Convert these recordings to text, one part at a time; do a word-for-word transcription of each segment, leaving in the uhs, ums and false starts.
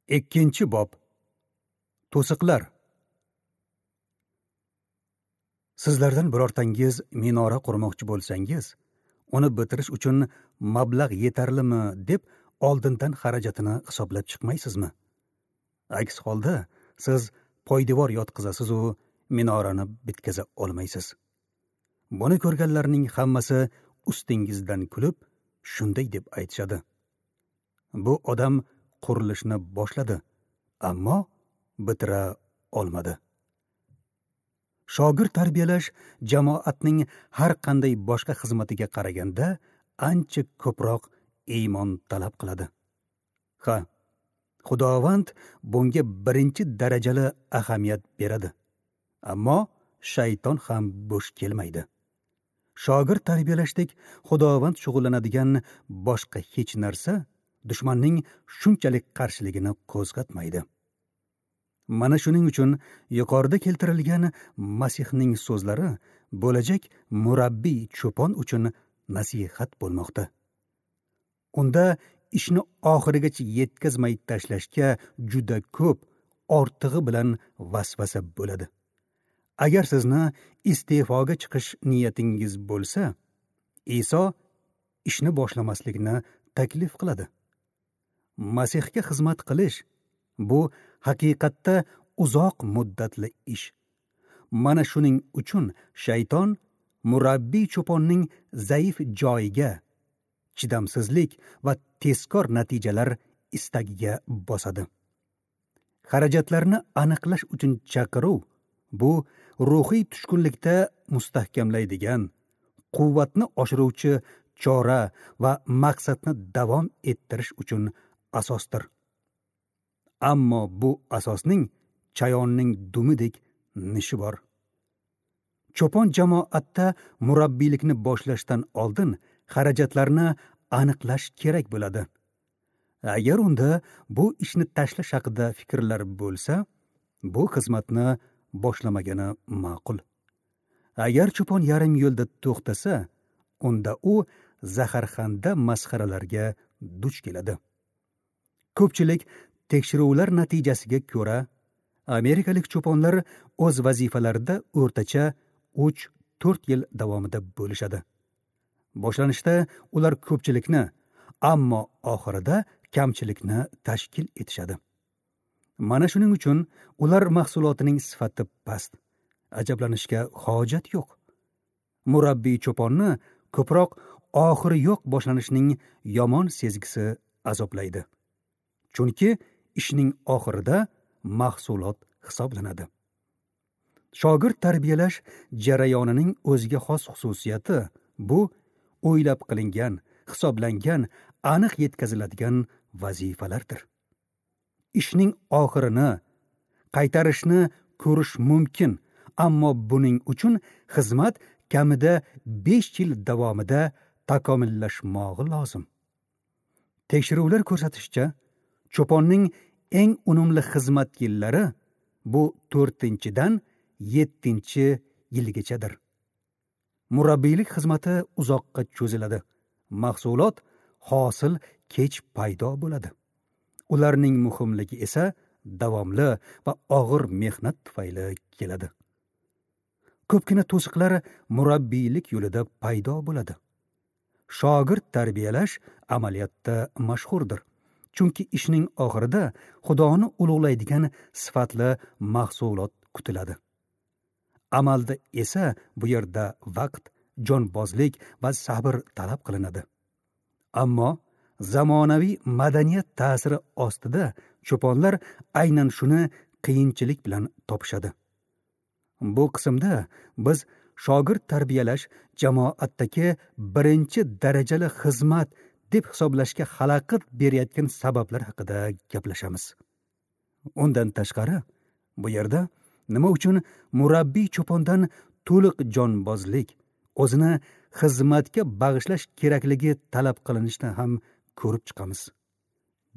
Ikkinchi bob. To'siqlar. Sizlardan birortangiz minora qurmoqchi bo'lsangiz, uni bitirish uchun mablag' yetarlimi deb oldindan xarajatini hisoblab chiqmaysizmi? Aks holda siz poydevor yotqizasiz u minorani bitkaza olmaysiz. Buni ko'rganlarning hammasi ustingizdan kulib, shunday deb aytishadi: bu odam qurilishni boshladi, ammo bitira olmadi. Shogird tarbiyalash jamoatning har qanday boshqa xizmatiga qaraganda ancha ko'proq iymon talab qiladi. Ha, Xudovand bunga birinchi darajali ahamiyat beradi. Ammo shayton ham bo'sh kelmaydi. Shogird tarbiyalashdek Xudovand shug'ullanadigan boshqa hech narsa dushmanning shunchalik qarshiligini qo'zg'atmaydi. Mana shuning uchun yuqorida keltirilgan Masihning so'zlari bo'lajak murabbiy cho'pon uchun nasihat bo'lmoqda. Unda ishni oxirigacha yetkazmay tashlashga juda ko'p ortig'i bilan vasvasa bo'ladi. Agar sizni iste'foga chiqish niyatingiz bo'lsa, Iso ishni boshlamaslikni taklif qiladi. Masihga xizmat qilish bu haqiqatda uzoq muddatli ish. Mana shuning uchun shayton murabbiy cho'ponning zaif joyiga, chidamsizlik va tezkor natijalar istagiga bosadi. Xarajatlarni aniqlash uchun chaqiruv bu ruhiy tushkunlikda mustahkamlaydigan, quvvatni oshiruvchi chora va maqsadni davom ettirish uchun asosdir. Ammo bu asosning chayonning dumidek nishi bor. Cho'pon jamoatda murabbiylikni boshlashdan oldin xarajatlarni aniqlash kerak bo'ladi. Agar unda bu ishni tashlash haqida fikrlar bo'lsa, bu xizmatni boshlamagani ma'qul. Agar cho'pon yarim yo'lda to'xtasa, unda u zaharxanda masxaralarga duch keladi. Ko'pchilik tekshiruvlar natijasiga ko'ra, amerikalik cho'ponlar o'z vazifalarida o'rtacha uch to'rt yil davomida bo'lishadi. Boshlanishda ular ko'pchilikni, ammo oxirida kamchilikni tashkil etishadi. Mana shuning uchun ular mahsulotining sifati past. Ajablanishga hojat yo'q. Murabbiy cho'ponni ko'proq oxiri yo'q boshlanishining yomon sezgisi azoblaydi. Chunki ishning oxirida mahsulot hisoblanadi. Shogird tarbiyalash jarayonining o'ziga xos xususiyati bu o'ylab qilingan, hisoblangan, aniq yetkaziladigan vazifalardir. Ishning oxirini, qaytarishni ko'rish mumkin, ammo buning uchun xizmat kamida besh yil davomida takomillashmog'i lozim. Tekshiruvlar ko'rsatishicha, cho'ponning eng unumli xizmat yillari bu to'rtinchidan yettinchi yilgachadir. Murabbiylik xizmati uzoqqa cho'ziladi. Mahsulot, hosil kech paydo bo'ladi. Ularning muhimligi esa davomli va og'ir mehnat tufayli keladi. Ko'pgina to'siqlar murabbiylik yo'lida paydo bo'ladi. Shogird tarbiyalash amaliyotda mashhurdir. Chunki ishning oxirida Xudoni ulug'laydigan sifatli mahsulot kutiladi. Amalda esa bu yerda vaqt, jonbozlik va sabr talab qilinadi. Ammo zamonaviy madaniyat ta'siri ostida cho'ponlar aynan shuni qiyinchilik bilan topishadi. Bu qismda biz shogird tarbiyalash jamoatdagi birinchi darajali xizmat deb hisoblashga xalaqit berayotgan sabablar haqida gaplashamiz. Undan tashqari, bu yerda nima uchun murabbiy cho'pondan to'liq jonbozlik, o'zini xizmatga bag'ishlash kerakligi talab qilinishini ham ko'rib chiqamiz.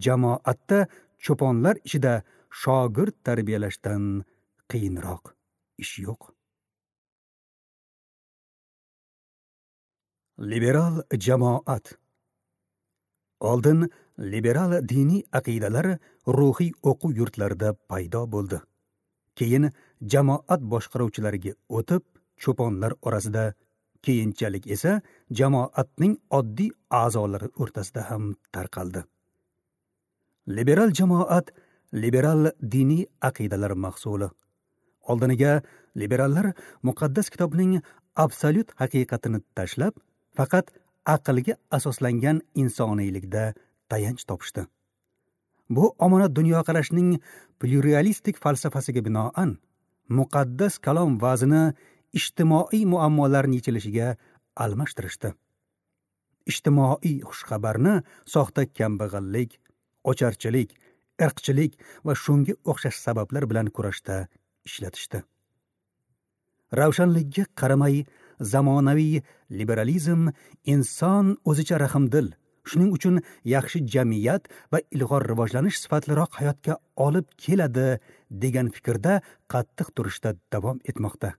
Jamoatda cho'ponlar ichida shogird tarbiyalashdan qiyinroq ish yo'q. Liberal jamoat. Oldin liberal diniy aqidalar ruhiy o'quv yurtlarida paydo bo'ldi. Keyin jamoat boshqaruvchilariga o'tib, cho'ponlar orasida, keyinchalik esa jamoatning oddiy a'zolari o'rtasida ham tarqaldi. Liberal jamoat liberal diniy aqidalar mahsuli. Oldiniga liberallar muqaddas kitobning absolyut haqiqatini tashlab, faqat aqlga asoslangan insoniylikda tayanch topishdi. Bu omonat dunyoqarashning pluralistik falsafasiga binoan muqaddas kalom vazini ijtimoiy muammolarning yechilishiga almashtirishdi. Ijtimoiy xushxabarni soxta kambag'allik, ocharchilik, irqchilik va shunga o'xshash sabablar bilan kurashda ishlatishdi. Ravshanlikka qaramay, zamonaviy liberalizm inson o'zicha rahmdil, shuning uchun yaxshi jamiyat va ilg'or rivojlanish sifatliroq hayotga olib keladi degan fikrda qattiq turishda davom etmoqda.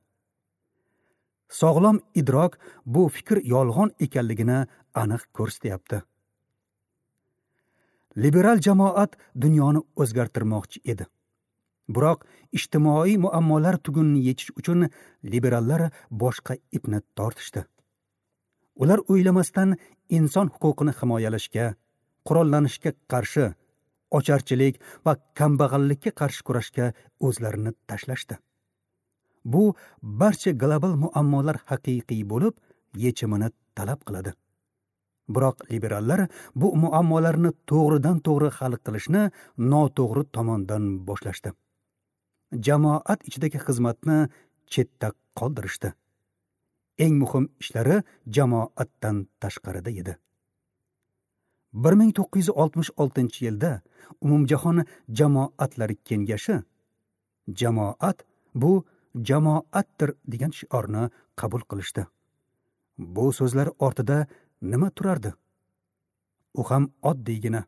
Sog'lom idrok bu fikr yolg'on ekanligini aniq ko'rsatyapti. Liberal jamoat dunyoni o'zgartirmoqchi edi. Biroq ijtimoiy muammolar tugunini yechish uchun liberallar boshqa ipni tortishdi. Ular o'ylamasdan inson huquqini himoyalashga, qurollanishga qarshi, ocharchilik va kambag'allikka qarshi kurashga o'zlarini tashlashdi. Bu barcha global muammolar haqiqiy bo'lib, yechimini talab qiladi. Biroq liberallar bu muammolarni to'g'ridan-to'g'ri hal qilishni noto'g'ri tomondan boshlashdi. Jamoat ichidagi xizmatni chetda qoldirishdi. Eng muhim ishlari jamoatdan tashqarida edi. bir ming to'qqiz yuz oltmish oltinchi yilda Umumjahon jamoatlari kengashi jamoat bu jamoatdir degan shiorni qabul qilishdi. Bu so'zlar ortida nima turardi? U ham oddiygina.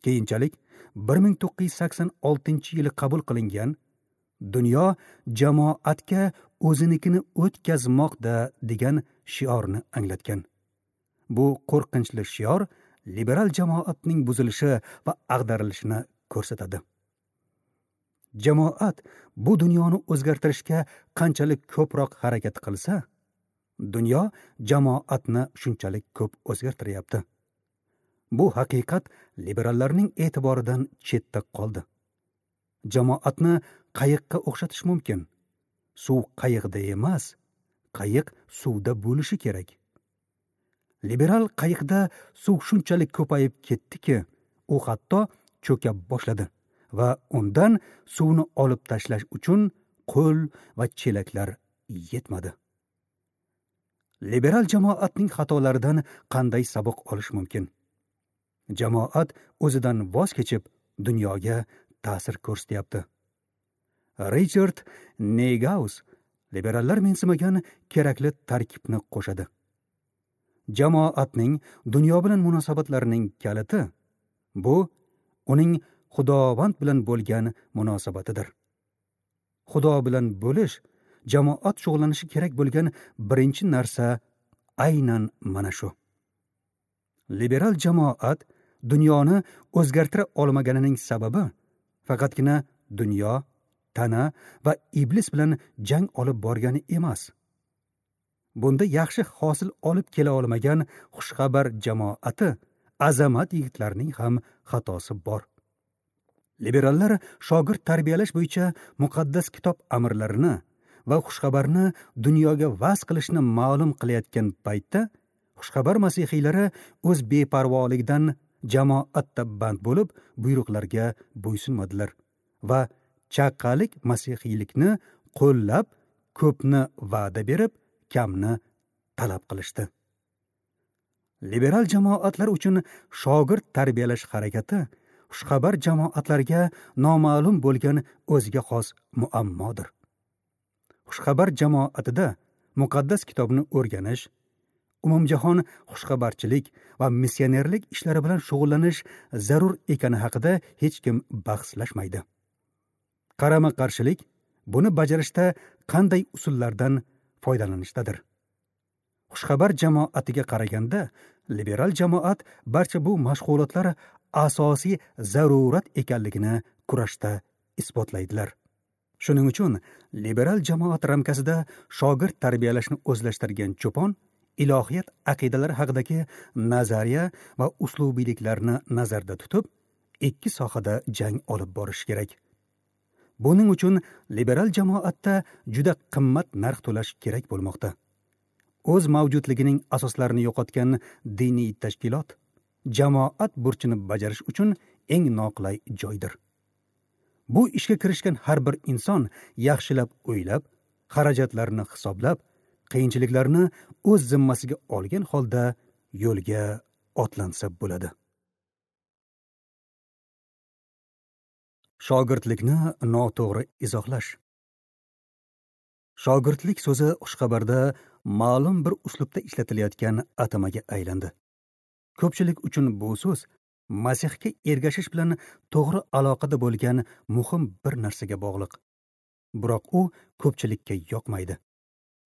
Keyinchalik bir ming to'qqiz yuz sakson oltinchi yili qabul qilingan dunyo jamoatga o'zinikini o'tkazmoqda degan shiorni anglatgan. Bu qo'rqinchli shior liberal jamoatning buzilishi va ag'darilishini ko'rsatadi. Jamoat bu dunyoni o'zgartirishga qanchalik ko'proq harakat qilsa, dunyo jamoatni shunchalik ko'p o'zgartiryapti. Bu haqiqat liberallarning e'tiboridan chetda qoldi. Jamoatni qayiqqa o'xshatish mumkin. Suv qayiqda emas, qayiq suvda bo'lishi kerak. Liberal qayiqda suv shunchalik ko'payib ketdiki, u hatto cho'ka boshladi va undan suvni olib tashlash uchun qo'l va chelaklar yetmadi. Liberal jamoatning xatolaridan qanday saboq olish mumkin? Jamoat o'zidan voz kechib dunyoga ta'sir ko'rsatyapti. Richard Neuhaus liberallar mensimagan kerakli tarkibni qo'shadi. Jamoatning dunyo bilan munosabatlarining kaliti bu uning Xudovand bilan bo'lgan munosabatidir. Xudo bilan bo'lish jamoat shug'ullanishi kerak bo'lgan birinchi narsa aynan mana shu. Liberal jamoat dunyoni o'zgartira olmaganining sababi faqatgina dunyo, tana va iblis bilan jang olib borgani emas. Bunda yaxshi hosil olib kela olmagan xushxabar jamoati azamat yigitlarning ham xatosi bor. Liberallar shogird tarbiyalash bo'yicha muqaddas kitob amrlarini va xushxabarni dunyoga vaz qilishni ma'lum qilayotgan paytda xushxabar masihiylari o'z beparvoligidan jamoatda band bo'lib buyruqlarga bo'ysunmadilar va chaqalik masihiylikni qo'llab, ko'pni va'da berib, kamni talab qilishdi. Liberal jamoatlar uchun shogird tarbiyalash harakati xushxabar jamoatlarga noma'lum bo'lgan o'ziga xos muammodir. Xushxabar jamoatida muqaddas kitobni o'rganish, umumjahon xushxabarchilik va missionerlik ishlari bilan shug'ullanish zarur ekani haqida hech kim bahslashmaydi. Qarama-qarshilik buni bajarishda qanday usullardan foydalanishdadir. Xushxabar jamoatiga qaraganda liberal jamoat barcha bu mashg'ulotlar asosiy zarurat ekanligini kurashda isbotlaydilar. Shuning uchun liberal jamoat ramkasida shogird tarbiyalashni o'zlashtirgan cho'pon ilohiyat aqidalari haqidagi nazariya va uslubiyliklarni nazarda tutib, ikki sohada jang olib borish kerak. Buning uchun liberal jamoatda juda qimmat narx to'lash kerak bo'lmoqda. O'z mavjudligining asoslarini yo'qotgan diniy tashkilot jamoat burchini bajarish uchun eng noqulay joydir. Bu ishga kirishgan har bir inson yaxshilab o'ylab, xarajatlarni hisoblab, qiyinchiliklarni o'z zimmasiga olgan holda yo'lga otlansa bo'ladi. Shogirdlikni noto'g'ri izohlash. Shogirdlik so'zi xushxabarda ma'lum bir uslubda ishlatilayotgan atamaga aylandi. Ko'pchilik uchun bu so'z Masihga ergashish bilan to'g'ri aloqada bo'lgan muhim bir narsaga bog'liq. Biroq u ko'pchilikka yoqmaydi.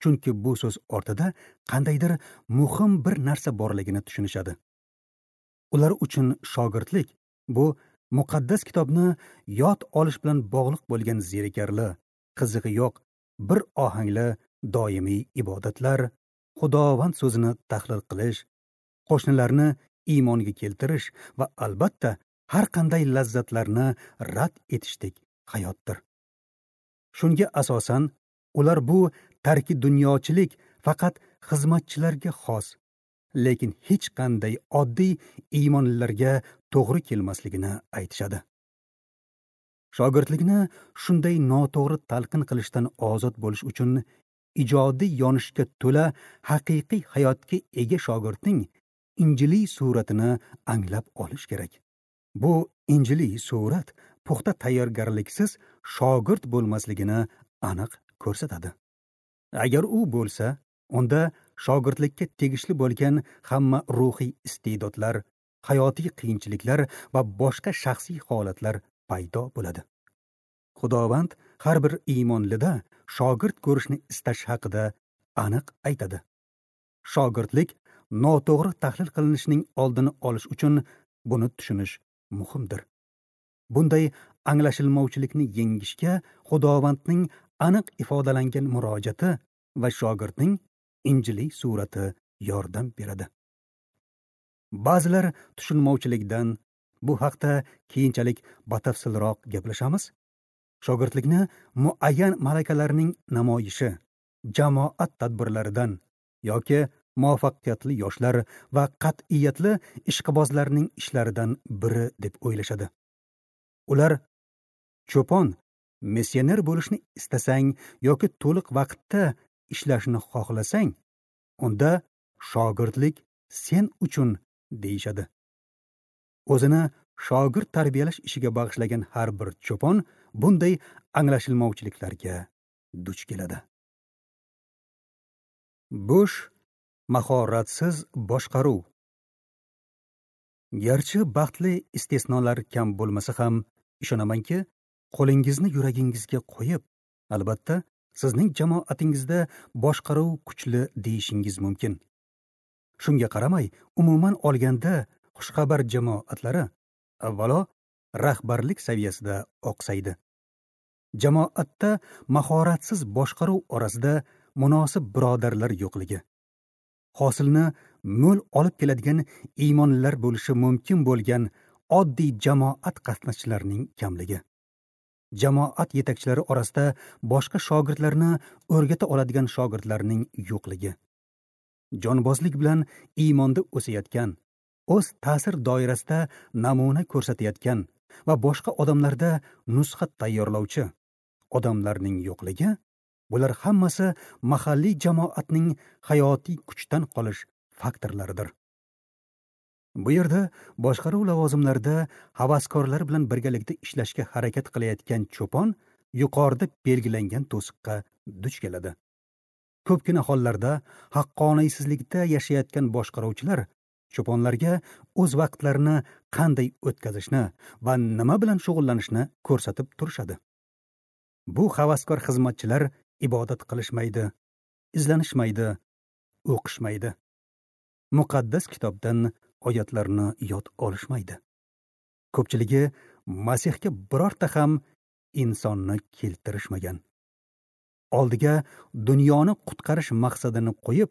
Chunki bu so'z ortida qandaydir muhim bir narsa borligini tushunishadi. Ular uchun shogirdlik bu muqaddas kitobni yod olish bilan bog'liq bo'lgan zerikarli, qizig'i yo'q, bir ohangli doimiy ibodatlar, Xudovand so'zini tahlil qilish, qo'shnilarni iymonga keltirish va albatta har qanday lazzatlarni rad etishdek hayotdir. Shunga asosan ular bu tarki dunyochilik faqat xizmatchilarga xos, lekin hech qanday oddiy iymonlilarga to'g'ri kelmasligini aytishadi. Shogirdlikni shunday noto'g'ri talqin qilishdan ozod bo'lish uchun ijodiy yonishga to'la haqiqiy hayotga ega shogirdning injiliy suratini anglab olish kerak. Bu injiliy surat puxta tayyorgarliksiz shogird bo'lmasligini aniq ko'rsatadi. Agar u bo'lsa, unda shogirdlikka tegishli bo'lgan hamma ruhiy iste'dodlar, hayotiy qiyinchiliklar va boshqa shaxsiy holatlar paydo bo'ladi. Xudovand har bir iymonlida shogird ko'rishni istash haqida aniq aytadi. Shogirdlik noto'g'ri tahlil qilinishining oldini olish uchun buni tushunish muhimdir. Bunday anglashilmovchilikni yengishga Xudovandning aniq ifodalangan murojaati va shogirdning injiliy surati yordam beradi. Ba'zilar tushunmovchilikdan, bu haqda keyinchalik batafsilroq gaplashamiz, shogirdlikni muayyan malakalarning namoyishi, jamoat tadbirlaridan yoki muvaffaqiyatli yoshlar va qat'iyatli ishqibozlarning ishlaridan biri deb o'ylashadi. Ular cho'pon, missioner bo'lishni istasang yoki to'liq vaqtda ishlashni xohlasang, unda shogirdlik sen uchun deyishadi. O'zini shogird tarbiyalash ishiga bag'ishlagan har bir cho'pon bunday anglashilmovchiliklarga duch keladi. Bo'sh, mahoratsiz boshqaruv. Garchi baxtli istisnolar kam bo'lmasa ham, ishonamanki, qo'lingizni yuragingizga qo'yib, albatta, sizning jamoatingizda boshqaruv kuchli deyishingiz mumkin. Shunga qaramay, umuman olganda xushxabar jamoatlari avvalo rahbarlik saviyasida oqsaydi. Jamoatda mahoratsiz boshqaruv orasida munosib birodarlar yo'qligi, hosilni mo'l olib keladigan iymonlilar bo'lishi mumkin bo'lgan oddiy jamoat qatnashchilarining kamligi, jamoat yetakchilari orasida boshqa shogirdlarni o'rgata oladigan shogirdlarning yo'qligi, jonbozlik bilan iymonda o'sayotgan, o'z ta'sir doirasida namuna ko'rsatayotgan va boshqa odamlarda nusxa tayyorlovchi odamlarning yo'qligi, bular hammasi mahalliy jamoatning hayotiy kuchdan qolish faktorlaridir. Bu yerda boshqaruv lavozimlarida havaskorlar bilan birgalikda ishlashga harakat qilayotgan cho'pon yuqorida belgilangan to'siqqa duch keladi. Ko'pgina hollarda haqqoniysizlikda yashayotgan boshqaruvchilar cho'ponlarga o'z vaqtlarini qanday o'tkazishni va nima bilan shug'ullanishni ko'rsatib turishadi. Bu havaskor xizmatchilar ibodat qilishmaydi, izlanishmaydi, o'qishmaydi. Muqaddas kitobdan oyatlarni yod olishmaydi. Ko'pchiligi Masihga birorta ham insonni keltirishmagan. Oldiga dunyoni qutqarish maqsadini qo'yib,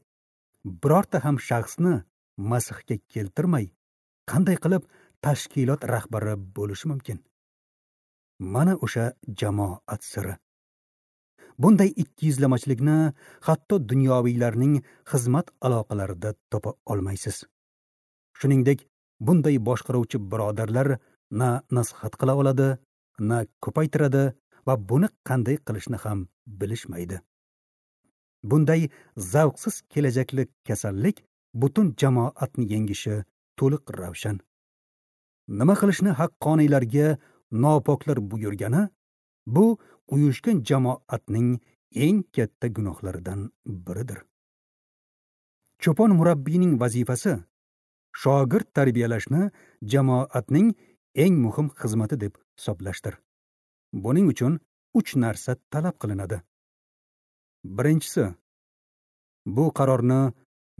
birorta ham shaxsni Masihga keltirmay, qanday qilib tashkilot rahbari bo'lishi mumkin? Mana o'sha jamoat siri. Bunday ikkiyuzlamachilikni hatto dunyoviylarning xizmat aloqalarida topa olmaysiz. Shuningdek, bunday boshqaruvchi birodarlar na nasihat qila oladi, na ko'paytiradi va buni qanday qilishni ham bilishmaydi. Bunday zavqsiz kelajakli kasallik butun jamoatni yengishi to'liq ravshan. Nima qilishni haqqoniylarga nopoklar buyurgani, bu uyushgan jamoatning eng katta gunohlaridan biridir. Cho'pon murabbiyning vazifasi shogird tarbiyalashni jamoatning eng muhim xizmati deb hisoblashdir. Buning uchun uch narsa talab qilinadi. Birinchisi, bu qarorni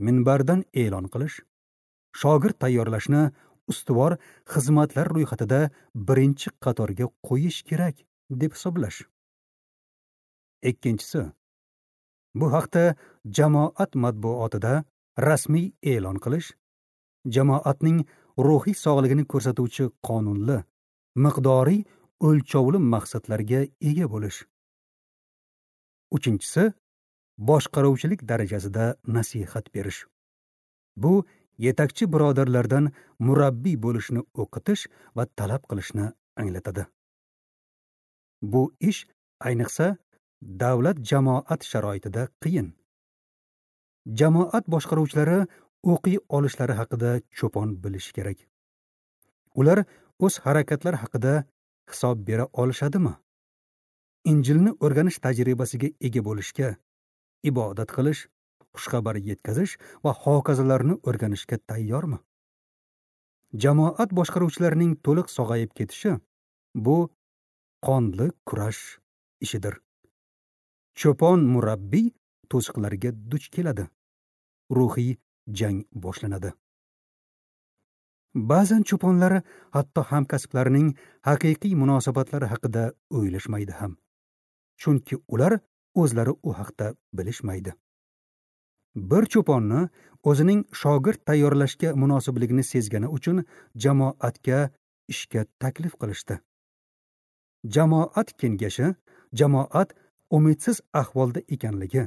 minbardan e'lon qilish, shogird tayyorlashni ustuvor xizmatlar ro'yxatida birinchi qatorga qo'yish kerak deb hisoblash. Ikkinchisi, bu haqda jamoat matbuotida rasmiy e'lon qilish, jamoatning ruhiy sog'ligini ko'rsatuvchi qonunli, miqdoriy o'lchovli maqsadlarga ega bo'lish. Uchinchisi, boshqaruvchilik darajasida nasihat berish. Bu yetakchi birodarlardan murabbiy bo'lishni o'qitish va talab qilishni anglatadi. Bu ish ayniqsa davlat jamoat sharoitida qiyin. Jamoat boshqaruvchilari o'qiy olishlari haqida cho'pon bilishi kerak. Ular o'z harakatlari haqida hisob bera olishadimi? Injilni o'rganish tajribasiga ega bo'lishga, ibodat qilish, xushxabar yetkazish va hokazolarni o'rganishga tayyormi? Jamoat boshqaruvchilarining to'liq sog'ayib ketishi bu qonli kurash ishidir. Cho'pon murabbiy to'siqlarga duch keladi. Ruhiy jang boshlanadi. Ba'zan cho'ponlar hatto hamkasblarining haqiqiy munosabatlari haqida o'ylashmaydi ham. Chunki ular o'zlari u haqda bilishmaydi. Bir cho'ponni o'zining shogird tayyorlashga munosibligini sezgani uchun jamoatga ishga taklif qilishdi. Jamoat kengashi jamoat umidsiz ahvolda ekanligi,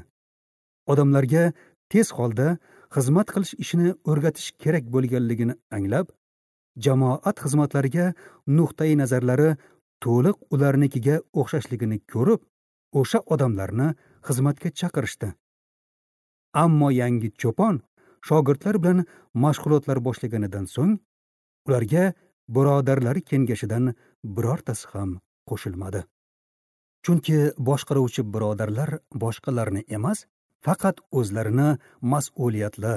odamlarga tez holda xizmat qilish ishini o'rgatish kerak bo'lganligini anglab, jamoat xizmatlariga nuqtai nazarlari to'liq ularnikiga o'xshashligini ko'rib, o'sha odamlarni xizmatga chaqirishdi. Ammo yangi cho'pon shogirdlar bilan mashg'ulotlar boshlaganidan so'ng ularga birodarlari kengashidan birortasi ham qo'shilmadi. Chunki boshqaruvchi birodarlar boshqalarni emas, faqat o'zlarini mas'uliyatli,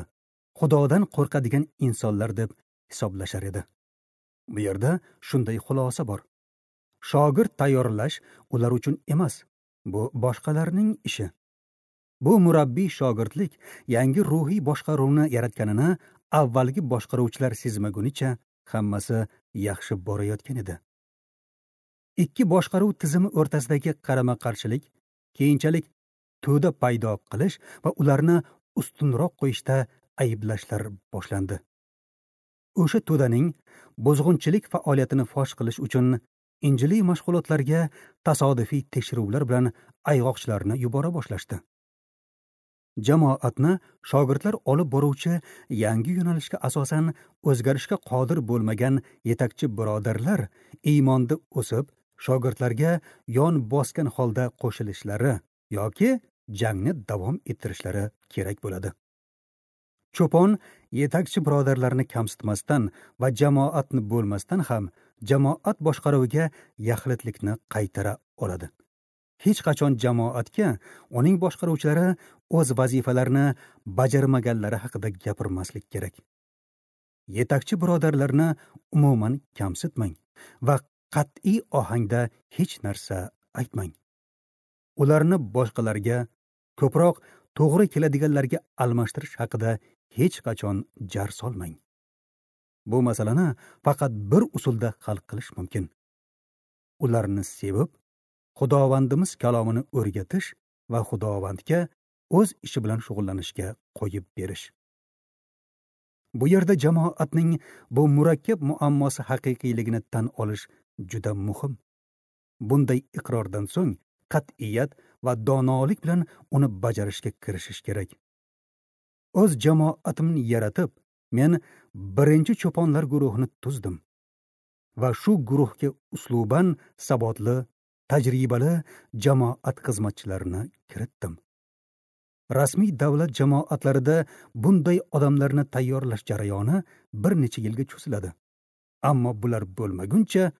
Xudodan qo'rqadigan insonlar deb hisoblashar edi. Bu yerda shunday xulosa bor. Shogird tayyorlash ular uchun emas, bu boshqalarning ishi. Bu murabbiy shogirdlik yangi ruhiy boshqaruvni yaratganini avvalgi boshqaruvchilar sezmagunicha hammasi yaxshi borayotgan edi. Ikki boshqaruv tizimi o'rtasidagi qarama-qarshilik keyinchalik to'da paydo qilish va ularni ustunroq qo'yishda ayblashlar boshlandi. O'sha to'daning buzg'unchilik faoliyatini fosh qilish uchun injiliy mashg'ulotlarga tasodifiy tekshiruvlar bilan ayg'oqchilarni yubora boshlashdi. Jamoatni shogirdlar olib boruvchi yangi yo'nalishga asosan o'zgarishga qodir bo'lmagan yetakchi birodarlar iymonda o'sib, shogirdlarga yon bosgan holda qo'shilishlari yoki jangni davom ettirishlari kerak bo'ladi. Cho'pon yetakchi birodarlarni kamsitmasdan va jamoatni bo'lmasdan ham jamoat boshqaruviga yaxlitlikni qaytara oladi. Hech qachon jamoatga uning boshqaruvchilari o'z vazifalarini bajarmaganlari haqida gapirmaslik kerak. Yetakchi birodarlarni umuman kamsitmang va qat'iy ohangda hech narsa aytmang. Ularni boshqalarga, ko'proq to'g'ri keladiganlarga almashtirish haqida hech qachon jar solmang. Bu masalani faqat bir usulda hal qilish mumkin. Ularni sevib, Xudovandimiz kalomini o'rgatish va Xudovandga o'z ishi bilan shug'ullanishga qo'yib berish. Bu yerda jamoatning bu murakkab muammosi haqiqiyligini tan olish juda muhim. Bunday iqrordan so'ng qat'iyat va donolik bilan uni bajarishga kirishish kerak. O'z jamoatimni yaratib, men birinchi cho'ponlar guruhini tuzdim va shu guruhga usluban sabotli, tajribali jamoat xizmatchilarini kiritdim. Rasmiy davlat jamoatlarida bunday odamlarni tayyorlash jarayoni bir necha yilga cho'ziladi. Ammo bular bo'lmaguncha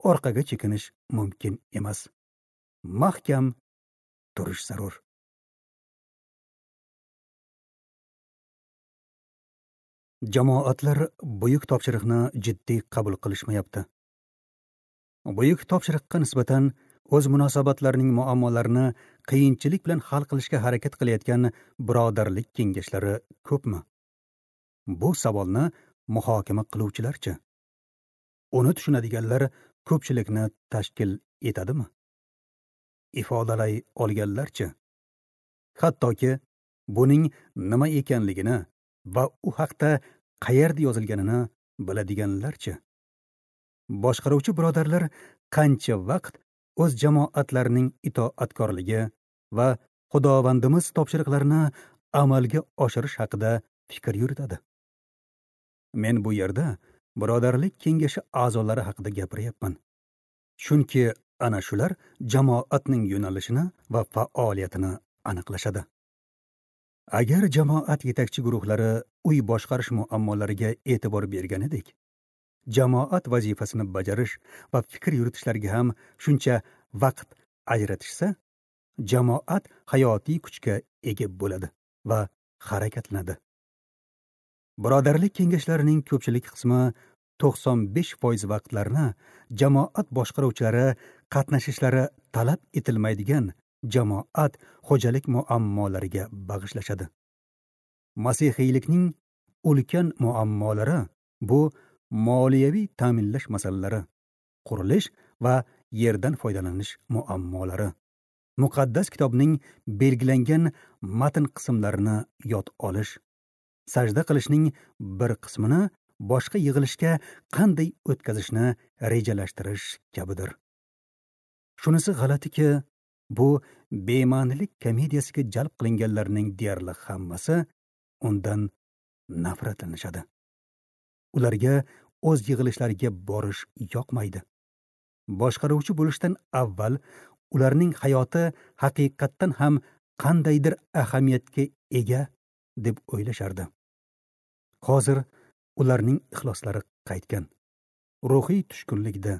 orqaga chekinish mumkin emas. Mahkam turish zarur. Jamoatlar buyuk topshiriqni jiddiy qabul qilishmayapti. Buyuk topshiriqqa nisbatan o'z munosabatlarining muammolarini qiyinchilik bilan hal qilishga harakat qilayotgan birodarlik kengashlari ko'pmi? Bu savolni muhokama qiluvchilarchi? Uni tushunadiganlar ko'pchilikni tashkil etadimi? Ifodalay olganlarchi? Hattoki buning nima ekanligini va u haqda qayerda yozilganini biladiganlarchi? Boshqaruvchi birodarlar qancha vaqt o'z jamoatlarining itoatkorligi va Xudovandimiz topshiriqlarini amalga oshirish haqida fikr yuritadi? Men bu yerda birodarlik kengashi a'zolari haqida gapiryapman. Chunki ana shular jamoatning yo'nalishini va faoliyatini aniqlashadi. Agar jamoat yetakchi guruhlari uy boshqarish muammolariga e'tibor berganidek, jamoat vazifasini bajarish va fikr yuritishlariga ham shuncha vaqt ajratishsa, jamoat hayotiy kuchga ega bo'ladi va harakatlanadi. Birodarlik kengashlarining ko'pchilik qismi to'qson besh foiz vaqtlarini jamoat boshqaruvchilari qatnashishlari talab etilmaydigan jamoat xo'jalik muammolariga bag'ishlashadi. Masihiylikning ulkan muammolari bu moliyaviy ta'minlash masalalari, qurilish va yerdan foydalanish muammolari, muqaddas kitobning belgilangan matn qismlarini yod olish, sajda qilishning bir qismini boshqa yig'ilishga qanday o'tkazishni rejalashtirish kabidir. Shunisi g'alatiki, bu bema'nilik komediyasiga jalb qilinganlarning deyarli hammasi undan nafratlanishadi. Ularga o'z yig'ilishlariga borish yoqmaydi. Boshqaruvchi bo'lishdan avval ularning hayoti haqiqatdan ham qandaydir ahamiyatga ega deb o'ylashardi. Hozir ularning ixloslari qaytgan. Ruhiy tushkunlikda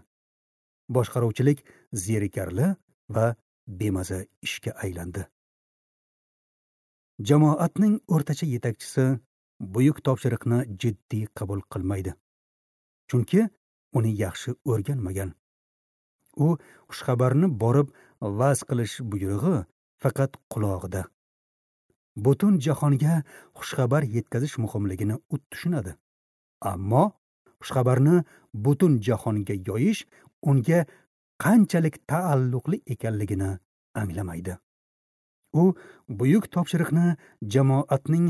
boshqaruvchilik zerikarli va bemaza ishga aylandi. Jamoatning o'rtacha yetakchisi buyuk topshiriqni jiddiy qabul qilmaydi. Chunki uni yaxshi o'rganmagan. U xushxabarni borib va'z qilish buyrug'i faqat qulog'ida. Butun jahonga xushxabar yetkazish muhimligini u tushunadi. Ammo xushxabarni butun jahonga yoyish unga qanchalik taalluqli ekanligini anglamaydi. U buyuk topshiriqni jamoatning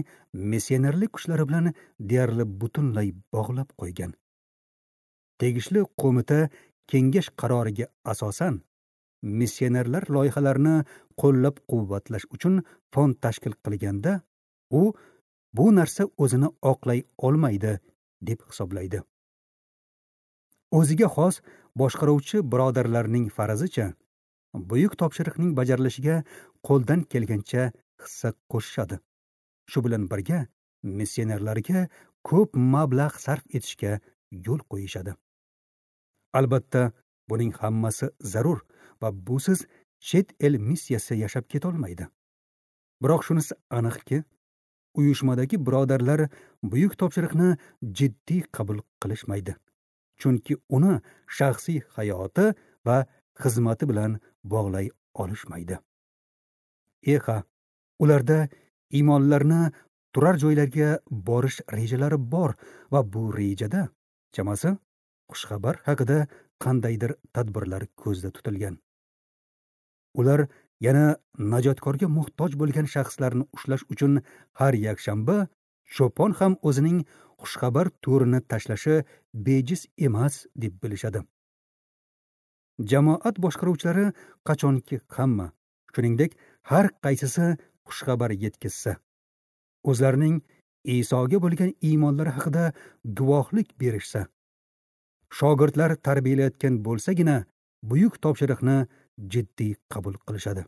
missionerlik kuchlari bilan deyarli butunlay bog'lab qo'ygan. Tegishli qo'mita kengash qaroriga asosan missionerlar loyihalarini qo'llab-quvvatlash uchun fond tashkil qilganda, u bu narsa o'zini oqlay olmaydi deb hisoblaydi. O'ziga xos boshqaruvchi birodarlarning farazicha, buyuk topshiriqning bajarilishiga qo'ldan kelgancha hissa qo'shishadi. Shu bilan birga missionerlarga ko'p mablag' sarf etishga yo'l qo'yishadi. Albatta, buning hammasi zarur va busiz chet el missiyasi yashab ketolmaydi. Biroq shunisi aniqki, uyushmadagi birodarlar buyuk topshiriqni jiddiy qabul qilishmaydi. Chunki uni shaxsiy hayoti va xizmati bilan bog'lay olishmaydi. Eha, ularda iymonlarni turar joylarga borish rejalari bor va bu rejada Chamasi, xushxabar haqida qandaydir tadbirlar ko'zda tutilgan. Ular yana najotkorga muhtoj bo'lgan shaxslarni ushlash uchun har yakshanba cho'pon ham o'zining xushxabar to'rini tashlashi bejiz emas deb bilishadi. Jamoat boshqaruvchilari qachonki hamma, shuningdek har qaysisi xushxabar yetkazsa, o'zlarining Isoga bo'lgan iymonlari haqida guvohlik berishsa, shogirdlar tarbiyalayotgan bo'lsagina buyuk topshiriqni jiddiy qabul qilishadi.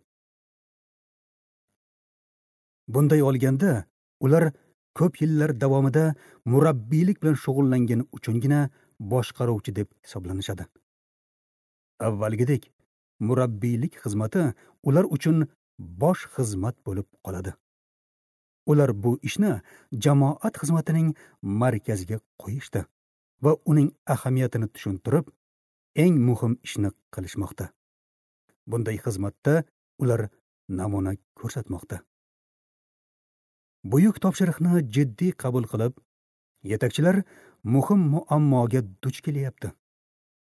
Bunday olganda, ular ko'p yillar davomida murabbiylik bilan shug'ullangani uchungina boshqaruvchi deb hisoblanishadi. Avvalgidek, murabbiylik xizmati ular uchun bosh xizmat bo'lib qoladi. Ular bu ishni jamoat xizmatining markaziga qo'yishdi va uning ahamiyatini tushuntirib, eng muhim ishni qilishmoqda. Bunday xizmatda ular namuna ko'rsatmoqda. Buyuk topshiriqni jiddiy qabul qilib, yetakchilar muhim muammoga duch kelyapti.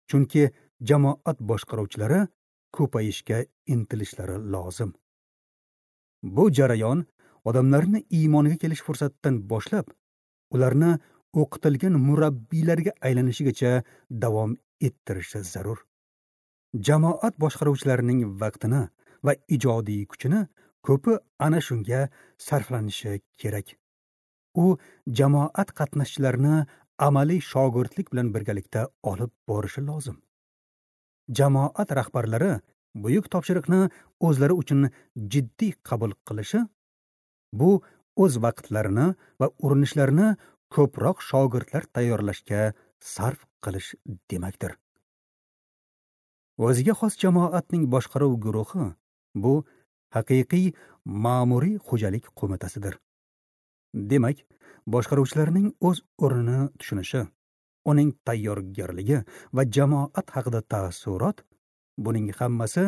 Chunki jamoat boshqaruvchilari ko'payishga intilishlari lozim. Bu jarayon odamlarni iymonga kelish fursatidan boshlab, ularni o'qitilgan murabbiylarga aylanishigacha davom ettirishi zarur. Jamoat boshqaruvchilarining vaqtini va ijodiy kuchini ko'pi ana shunga sarflanishi kerak. U jamoat qatnashchilarini amaliy shogirdlik bilan birgalikda olib borishi lozim. Jamoat rahbarlari buyuk topshiriqni o'zlari uchun jiddiy qabul qilishi, bu o'z vaqtlarini va urinishlarini ko'proq shogirdlar tayyorlashga sarf qilish demakdir. O'ziga xos jamoatning boshqaruv guruhi bu haqiqiy ma'muriy xo'jalik qo'mitasidir. Demak, boshqaruvchilarning o'z o'rnini tushunishi, uning tayyorgarligi va jamoat haqida taassurot, buning hammasi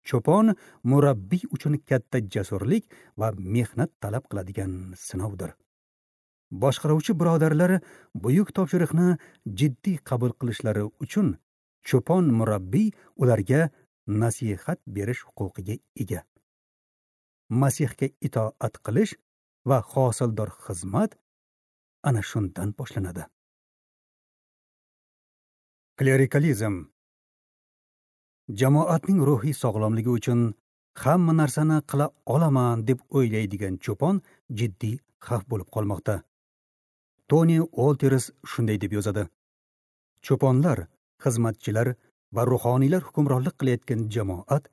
cho'pon murabbiy uchun katta jasurlik va mehnat talab qiladigan sinovdir. Boshqaruvchi birodarlar buyuk topshiriqni jiddiy qabul qilishlari uchun cho'pon murabbiy ularga nasihat berish huquqiga ega. Masihga itoat qilish va hosildor xizmat ana shundan boshlanadi. Klerikalizm. Jamoatning ruhiy sog'lomligi uchun hamma narsani qila olaman deb o'ylaydigan cho'pon jiddiy xavf bo'lib qolmoqda. Toni Olters shunday deb yozadi: Cho'ponlar, xizmatchilar va ruhoniylar hukmronlik qilayotgan jamoat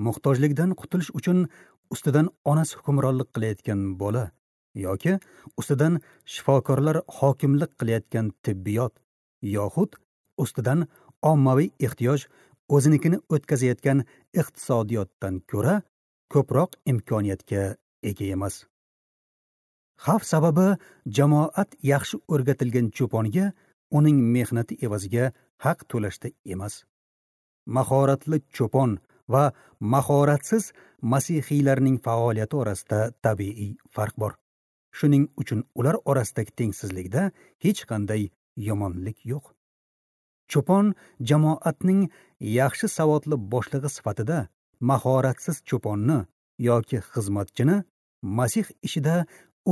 muhtojlikdan qutulish uchun ustidan onasi hukmronlik qilayotgan bola yoki ustidan shifokorlar hokimlik qilayotgan tibbiyot yoxud ustidan ommaviy ehtiyoj o'zinikini o'tkazayotgan iqtisodiyotdan ko'ra ko'proq imkoniyatga ega emas. Xavf sababi jamoat yaxshi o'rgatilgan cho'ponga uning mehnati evaziga haq to'lashda emas. Mahoratli cho'pon va mahoratsiz masihiylarning faoliyati orasida tabiiy farq bor. Shuning uchun ular orasidagi tengsizlikda hech qanday yomonlik yo'q. Cho'pon jamoatning yaxshi savodli boshlig'i sifatida mahoratsiz cho'ponni yoki xizmatchini Masih ishida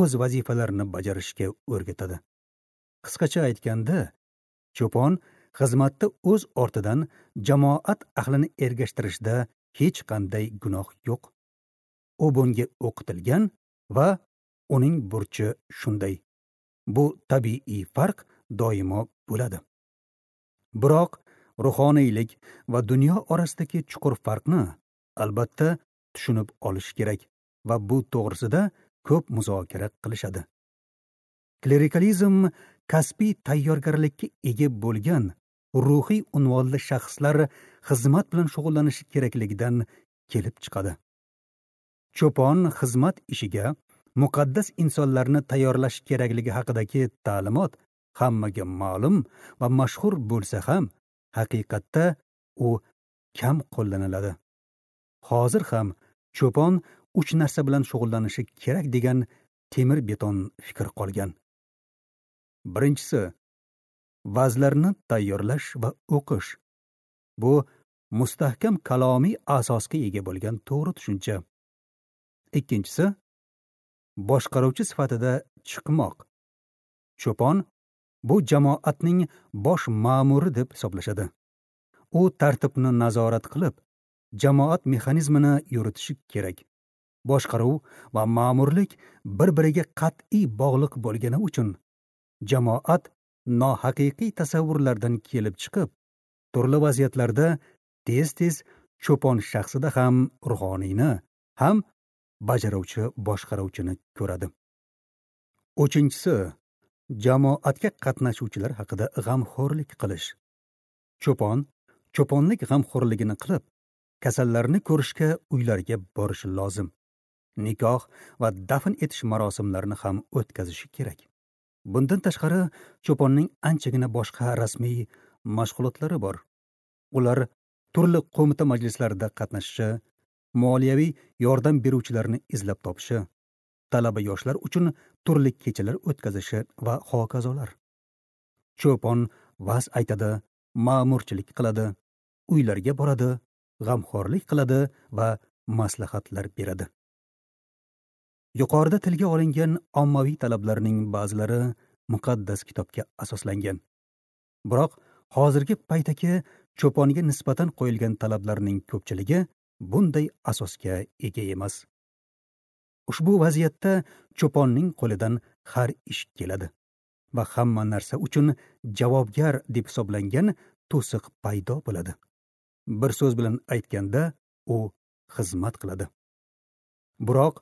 o'z vazifalarini bajarishga o'rgatadi. Qisqacha aytganda, cho'pon xizmatda o'z ortidan jamoat ahlini ergashtirishda hech qanday gunoh yo'q. U bunga o'qitilgan va uning burchi shunday. Bu tabiiy farq doimo bo'ladi. Biroq ruhoniylik va dunyo orasidagi chuqur farqni albatta tushunib olish kerak va bu to'g'risida ko'p muzokara qilishadi. Klerikalizm kasbiy tayyorgarlikka ega bo'lgan ruhiy unvonli shaxslar xizmat bilan shug'ullanishi kerakligidan kelib chiqadi. Cho'pon xizmat ishiga muqaddas insonlarni tayyorlash kerakligi haqidagi ta'limot hammaga ma'lum va mashhur bo'lsa ham, haqiqatda u kam qo'llaniladi. Hozir ham cho'pon uch narsa bilan shug'ullanishi kerak degan temir beton fikr qolgan. Birinchisi, vazlarni tayyorlash va o'qish. Bu mustahkam kalomiy asosga ega bo'lgan to'g'ri tushuncha. Ikkinchisi, boshqaruvchi sifatida chiqmoq. Cho'pon bu jamoatning bosh ma'muri deb hisoblashadi. U tartibni nazorat qilib, jamoat mexanizmini yuritishi kerak. Boshqaruv va ma'murlik bir-biriga qat'iy bog'liq bo'lgani uchun jamoat nohaqiqiy tasavvurlardan kelib chiqib, turli vaziyatlarda tez-tez cho'pon shaxsida ham ruhoniyni, ham bajaruvchi boshqaruvchini ko'radi. Uchinchisi, jamoatga qatnashuvchilar haqida g'amxo'rlik qilish. Cho'pon cho'ponlik g'amxo'rligini qilib, kasallarni ko'rishga uylariga borishi lozim. Nikoh va dafn etish marosimlarini ham o'tkazishi kerak. Bundan tashqari, cho'ponning anchagina boshqa rasmiy mashg'ulotlari bor. Ular turli qo'mita majlislarida qatnashishi, moliyaviy yordam beruvchilarni izlab topishi, talaba yoshlar uchun turli kechalar o'tkazishi va hokazolar. Cho'pon va'z aytadi, ma'murchilik qiladi, uylarga boradi, g'amxo'rlik qiladi va maslahatlar beradi. Yuqorida tilga olingan ommaviy talablarning ba'zilari muqaddas kitobga asoslangan. Biroq hozirgi paytdagi cho'ponga nisbatan qo'yilgan talablarning ko'pchiligi bunday asosga ega emas. Ushbu vaziyatda cho'ponning qo'lidan har ish keladi va hamma narsa uchun javobgar deb hisoblangan to'siq paydo bo'ladi. Bir so'z bilan aytganda, u xizmat qiladi. Biroq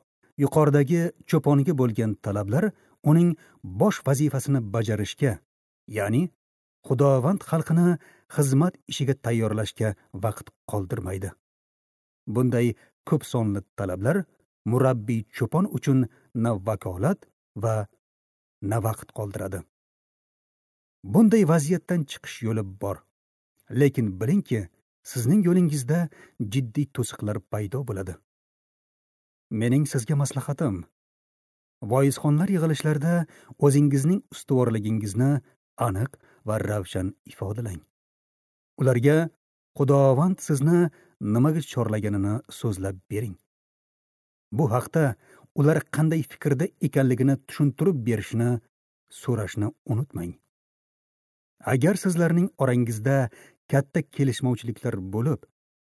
yuqoridagi cho'ponga bo'lgan talablar uning bosh vazifasini bajarishga, ya'ni Xudovand xalqini xizmat ishiga tayyorlashga vaqt qoldirmaydi. Bunday ko'p sonli talablar murabbiy cho'pon uchun na vakolat va na vaqt qoldiradi. Bunday vaziyatdan chiqish yo'li bor. Lekin bilingki, sizning yo'lingizda jiddiy to'siqlar paydo bo'ladi. Mening sizga maslahatim, voizxonlar yig'ilishlarida o'zingizning ustuvorligingizni aniq va ravshan ifodalang. Ularga Xudovand sizni nimaga chorlaganini so'zlab bering. Bu haqda ular qanday fikrda ekanligini tushuntirib berishni so'rashni unutmang. Agar sizlarning orangizda katta kelishmovchiliklar bo'lib,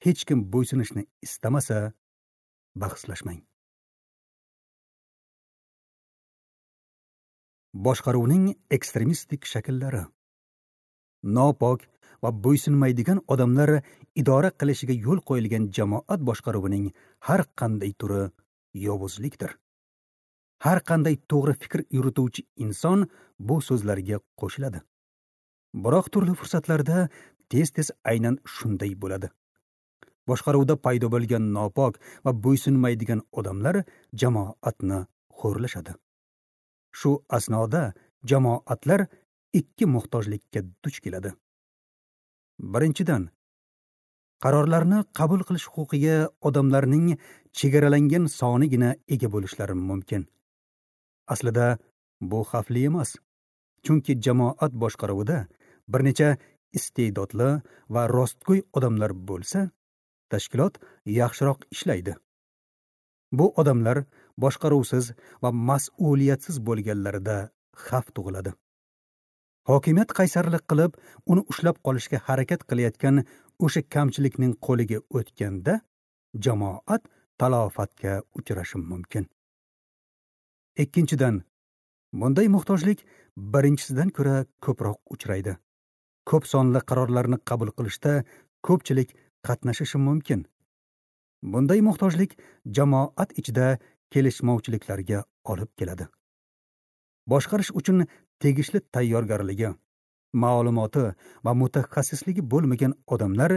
hech kim bo'ysunishni istamasa, bahslashmang. Boshqaruvning ekstremistik shakllari. Nopok va bo'ysunmaydigan odamlar idora qilishiga yo'l qo'yilgan jamoat boshqaruvining har qanday turi yovuzlikdir. Har qanday to'g'ri fikr yurituvchi inson bu so'zlarga qo'shiladi. Biroq turli fursatlarda tez-tez aynan shunday bo'ladi. Boshqaruvda paydo bo'lgan nopok va bo'ysunmaydigan odamlar jamoatni xo'rlashadi. Shu asnoda jamoatlar ikki muhtojlikka duch keladi. Birinchidan, qarorlarni qabul qilish huquqiga odamlarning chegaralangan sonigina ega bo'lishlari mumkin. Aslida bu xavfli emas, chunki jamoat boshqaruvida bir necha iste'dodli va rostgo'y odamlar bo'lsa, tashkilot yaxshiroq ishlaydi. Bu odamlar boshqaruvsiz va mas'uliyatsiz bo'lganlarida xavf tug'iladi. Hokimiyat qaysarlik qilib, uni ushlab qolishga harakat qilayotgan o'sha kamchilikning qo'liga o'tganda jamoat talofatga uchrashi mumkin. Ikkinchidan, bunday muhtojlik birinchisidan ko'ra ko'proq uchraydi. Ko'p sonli qarorlarni qabul qilishda ko'pchilik qatnashishi mumkin. Bunday muhtojlik jamoat ichida kelishmovchiliklarga olib keladi. Boshqarish uchun tegishli tayyorgarligi, ma'lumoti va mutaxassisligi bo'lmagan odamlar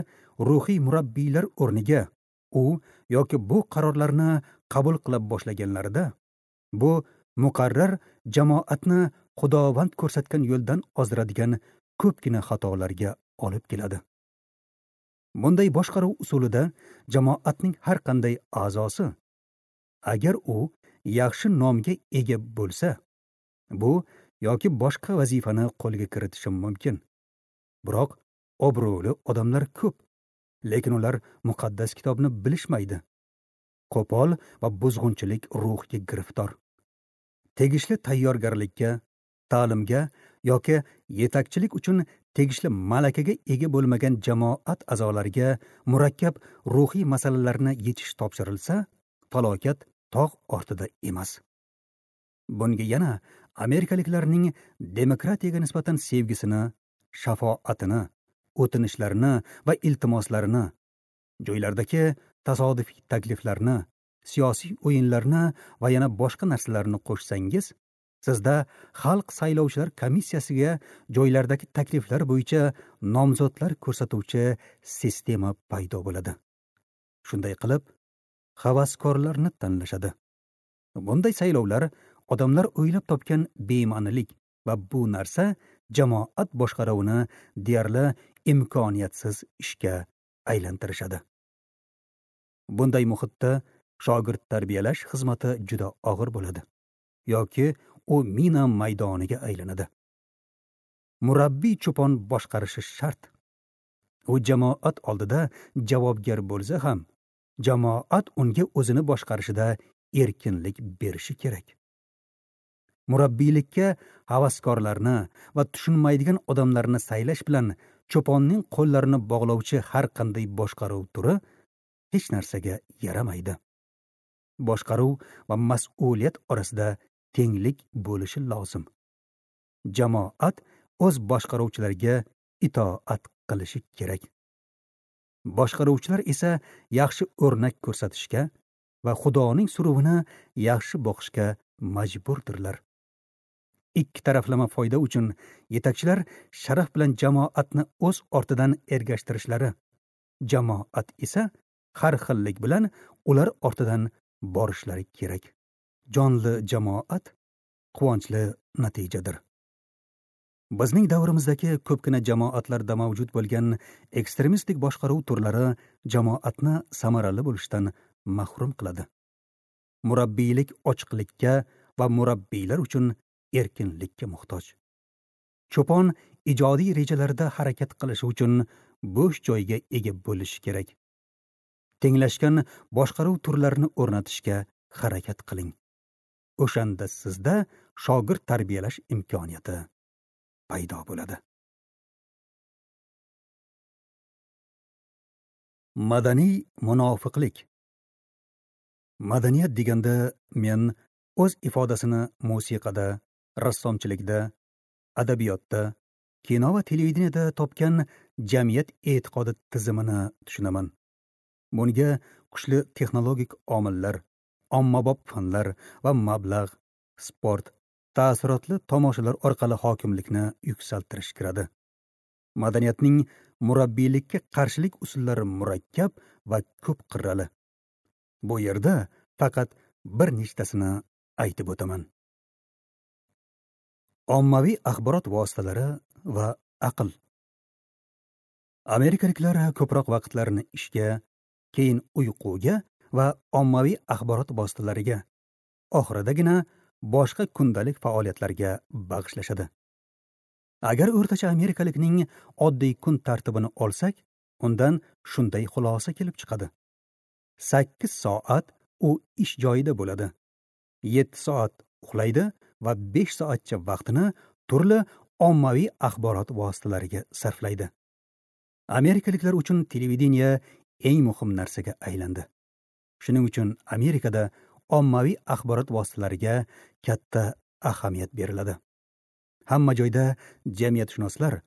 ruhiy murabbiylar o'rniga u yoki bu qarorlarni qabul qila boshlaganlarida bu muqarrar jamoatni Xudovand ko'rsatgan yo'ldan ozdiradigan ko'pgina xatolarga olib keladi. Bunday boshqaruv usulida jamoatning har qanday a'zosi, agar u yaxshi nomga ega bo'lsa, bu yoki boshqa vazifani qo'lga kiritishim mumkin. Biroq obro'li odamlar ko'p, lekin ular muqaddas kitobni bilishmaydi. Qo'pol va buzg'unchilik ruhiga giriftor. Tegishli tayyorgarlikka, ta'limga yoki yetakchilik uchun tegishli malakaga ega bo'lmagan jamoat a'zolariga murakkab ruhiy masalalarni yechish topshirilsa, falokat tog' ortida emas. Bunga yana amerikaliklarning demokratiyaga nisbatan sevgisini, shafoatini, o'tinishlarini va iltimoslarini, joylardagi tasodifiy takliflarni, siyosiy o'yinlarni va yana boshqa narsalarni qo'shsangiz, sizda xalq saylovchilar komissiyasiga joylardagi takliflar bo'yicha nomzodlar ko'rsatuvchi sistema paydo bo'ladi. Shunday qilib, havaskorlarni tanlashadi. Bunday saylovlar odamlar o'ylab topgan bema'nilik va bu narsa jamoat boshqaruvini deyarli imkoniyatsiz ishga aylantirishadi. Bunday muhitda shogird tarbiyalash xizmati juda og'ir bo'ladi yoki u mina maydoniga aylanadi. Murabbiy cho'pon boshqarishi shart. U jamoat oldida javobgar bo'lsa ham, jamoat unga o'zini boshqarishida erkinlik berishi kerak. Murabbiylikka havaskorlarni va tushunmaydigan odamlarni saylash bilan cho'ponning qo'llarini bog'lovchi har qanday boshqaruv turi hech narsaga yaramaydi. Boshqaruv va mas'uliyat orasida tenglik bo'lishi lozim. Jamoat o'z boshqaruvchilariga itoat qilishi kerak. Boshqaruvchilar esa yaxshi o'rnak ko'rsatishga va Xudoning suruvini yaxshi boqishga majburdirlar. Ikki taraflama foyda uchun yetakchilar sharaf bilan jamoatni o'z ortidan ergashtirishlari, jamoat esa har xillik bilan ular ortidan borishlari kerak. Jonli jamoat quvonchli natijadir. Bizning davrimizdagi ko'pgina jamoatlarda mavjud bo'lgan ekstremistik boshqaruv turlari jamoatni samarali bo'lishdan mahrum qiladi. Murabbiylik ochiqlikka va murabbiylar uchun erkinlikka muhtoj. Cho'pon ijodiy rejalarda harakat qilishi uchun bo'sh joyga ega bo'lishi kerak. Tenglashgan boshqaruv turlarini o'rnatishga harakat qiling. O'shanda sizda shogird tarbiyalash imkoniyati paydo bo'ladi. Madaniy munofiqlik. Madaniyat deganda men o'z ifodasini musiqada, rassomchilikda, adabiyotda, kino va televideniyada topgan jamiyat e'tiqodi tizimini tushunaman. Bunga kuchli texnologik omillar, ommabop fanlar va mablag', sport, ta'sirotli tomoshalar orqali hokimlikni yuksaltirish kiradi. Madaniyatning murabbiylikka qarshilik usullari murakkab va ko'p qirrali. Bu yerda faqat bir nechtasini aytib o'taman. Ommaviy axborot vositalari va aql. Amerikaliklar ko'proq vaqtlarini ishga, keyin uyquga va ommaviy axborot vositalariga, oxiridagina boshqa kundalik faoliyatlarga bag'ishlashadi. Agar o'rtacha amerikalikning oddiy kun tartibini olsak, undan shunday xulosa kelib chiqadi. sakkiz soat u ish joyida bo'ladi. yetti soat uxlaydi va besh soatcha vaqtini turli ommaviy axborot vositalariga sarflaydi. Amerikaliklar uchun televideniye eng muhim narsaga aylandi. Shuning uchun Amerikada ommaviy axborot vositalariga katta ahamiyat beriladi. Hamma joyda jamiyatshunoslar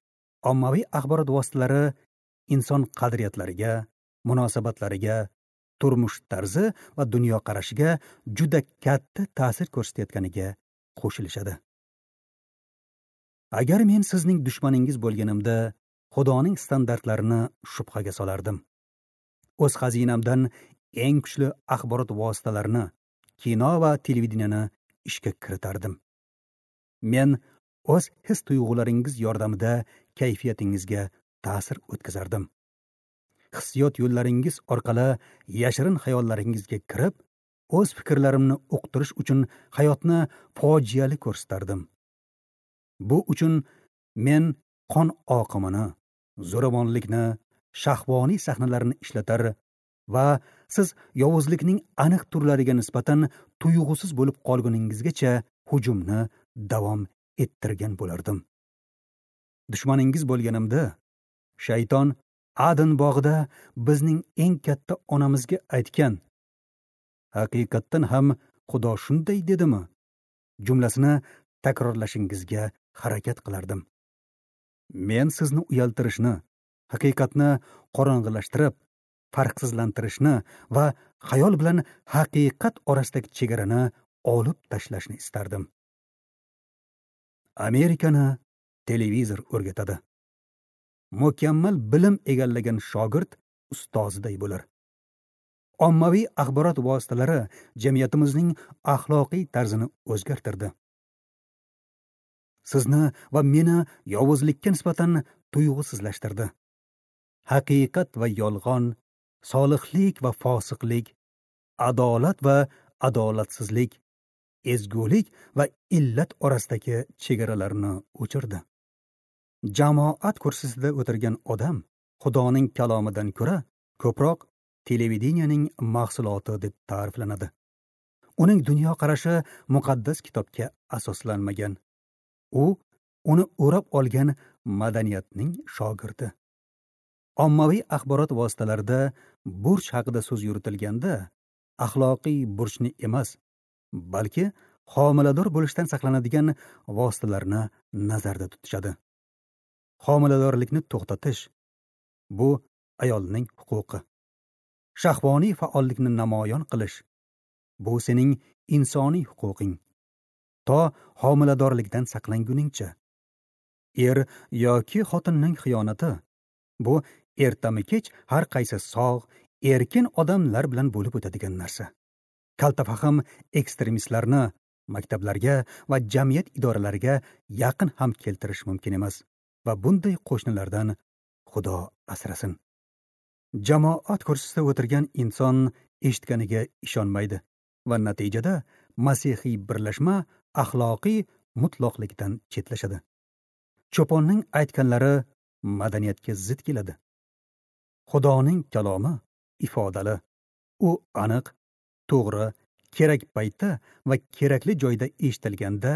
ommaviy axborot vositalari inson qadriyatlariga, munosabatlariga, turmush tarzi va dunyoqarashiga juda katta ta'sir ko'rsatayotganiga qo'shilishadi. Agar men sizning dushmaningiz bo'lganimda, Xudoning standartlarini shubhaga solardim. O'z xazinamdan eng kuchli axborot vositalarini, kino va televideniyani ishga kiritardim. Men o'z his-tuyg'ularingiz yordamida kayfiyatingizga ta'sir o'tkazardim. Hissiyot yo'llaringiz orqali yashirin xayollaringizga kirib, o'z fikrlarimni uqtirish uchun hayotni fojiali ko'rsatardim. Bu uchun men qon oqimini, zo'ravonlikni, shahvoniy sahnalarni ishlatar va siz yovuzlikning aniq turlariga nisbatan tuyg'usiz bo'lib qolguningizgacha hujumni davom ettirgan bo'lardim. Dushmaningiz bo'lganimda, shayton Adn bog'ida bizning eng katta onamizga aytgan, haqiqatdan ham Xudo shunday dedimi? Jumlasini takrorlashingizga harakat qilardim. Men sizni uyaltirishni, haqiqatni qorong'ilashtirib, farqsizlantirishni va xayol bilan haqiqat orasidagi chegarani olib tashlashni istardim. Amerikani televizor o'rgatadi. Mukammal bilim egallagan shogird ustoziday bo'lar. Ommaviy axborot vositalari jamiyatimizning axloqiy tarzini o'zgartirdi. Sizni va meni yovuzlikka nisbatan tuyg'usizlashtirdi. Haqiqat va yolg'on, solihlik va fosiqlik, adolat va adolatsizlik, ezgulik va illat orasidagi chegaralarni o'chirdi. Jamoat kursisida o'tirgan odam Xudoning kalomidan ko'ra ko'proq televideniyaning mahsuloti deb ta'riflanadi. Uning dunyoqarashi muqaddas kitobga asoslanmagan. U uni o'rab olgan madaniyatning shogirdi. Ommaviy axborot vositalarida burch haqida so'z yuritilganda, axloqiy burchni emas, balki homilador bo'lishdan saqlanadigan vositalarni nazarda tutishadi. Homiladorlikni to'xtatish bu ayolning huquqi. Shahvoniy faollikni namoyon qilish bu sening insoniy huquqing. To homiladorlikdan saqlanguningcha. Er yoki xotinning xiyonati bu ertami kech har qaysi sog', erkin odamlar bilan bo'lib o'tadigan narsa. Kaltafahm ekstremistlarni maktablarga va jamiyat idoralariga yaqin ham keltirish mumkin emas va bunday qo'shnilardan Xudo asrasin. Jamoat kursisida o'tirgan inson eshitganiga ishonmaydi va natijada masihiy birlashma axloqiy mutloqlikdan chetlashadi. Cho'ponning aytganlari madaniyatga zid keladi. Xudoning kalomi ifodali. U aniq, to'g'ri, kerak paytda va kerakli joyda eshitilganda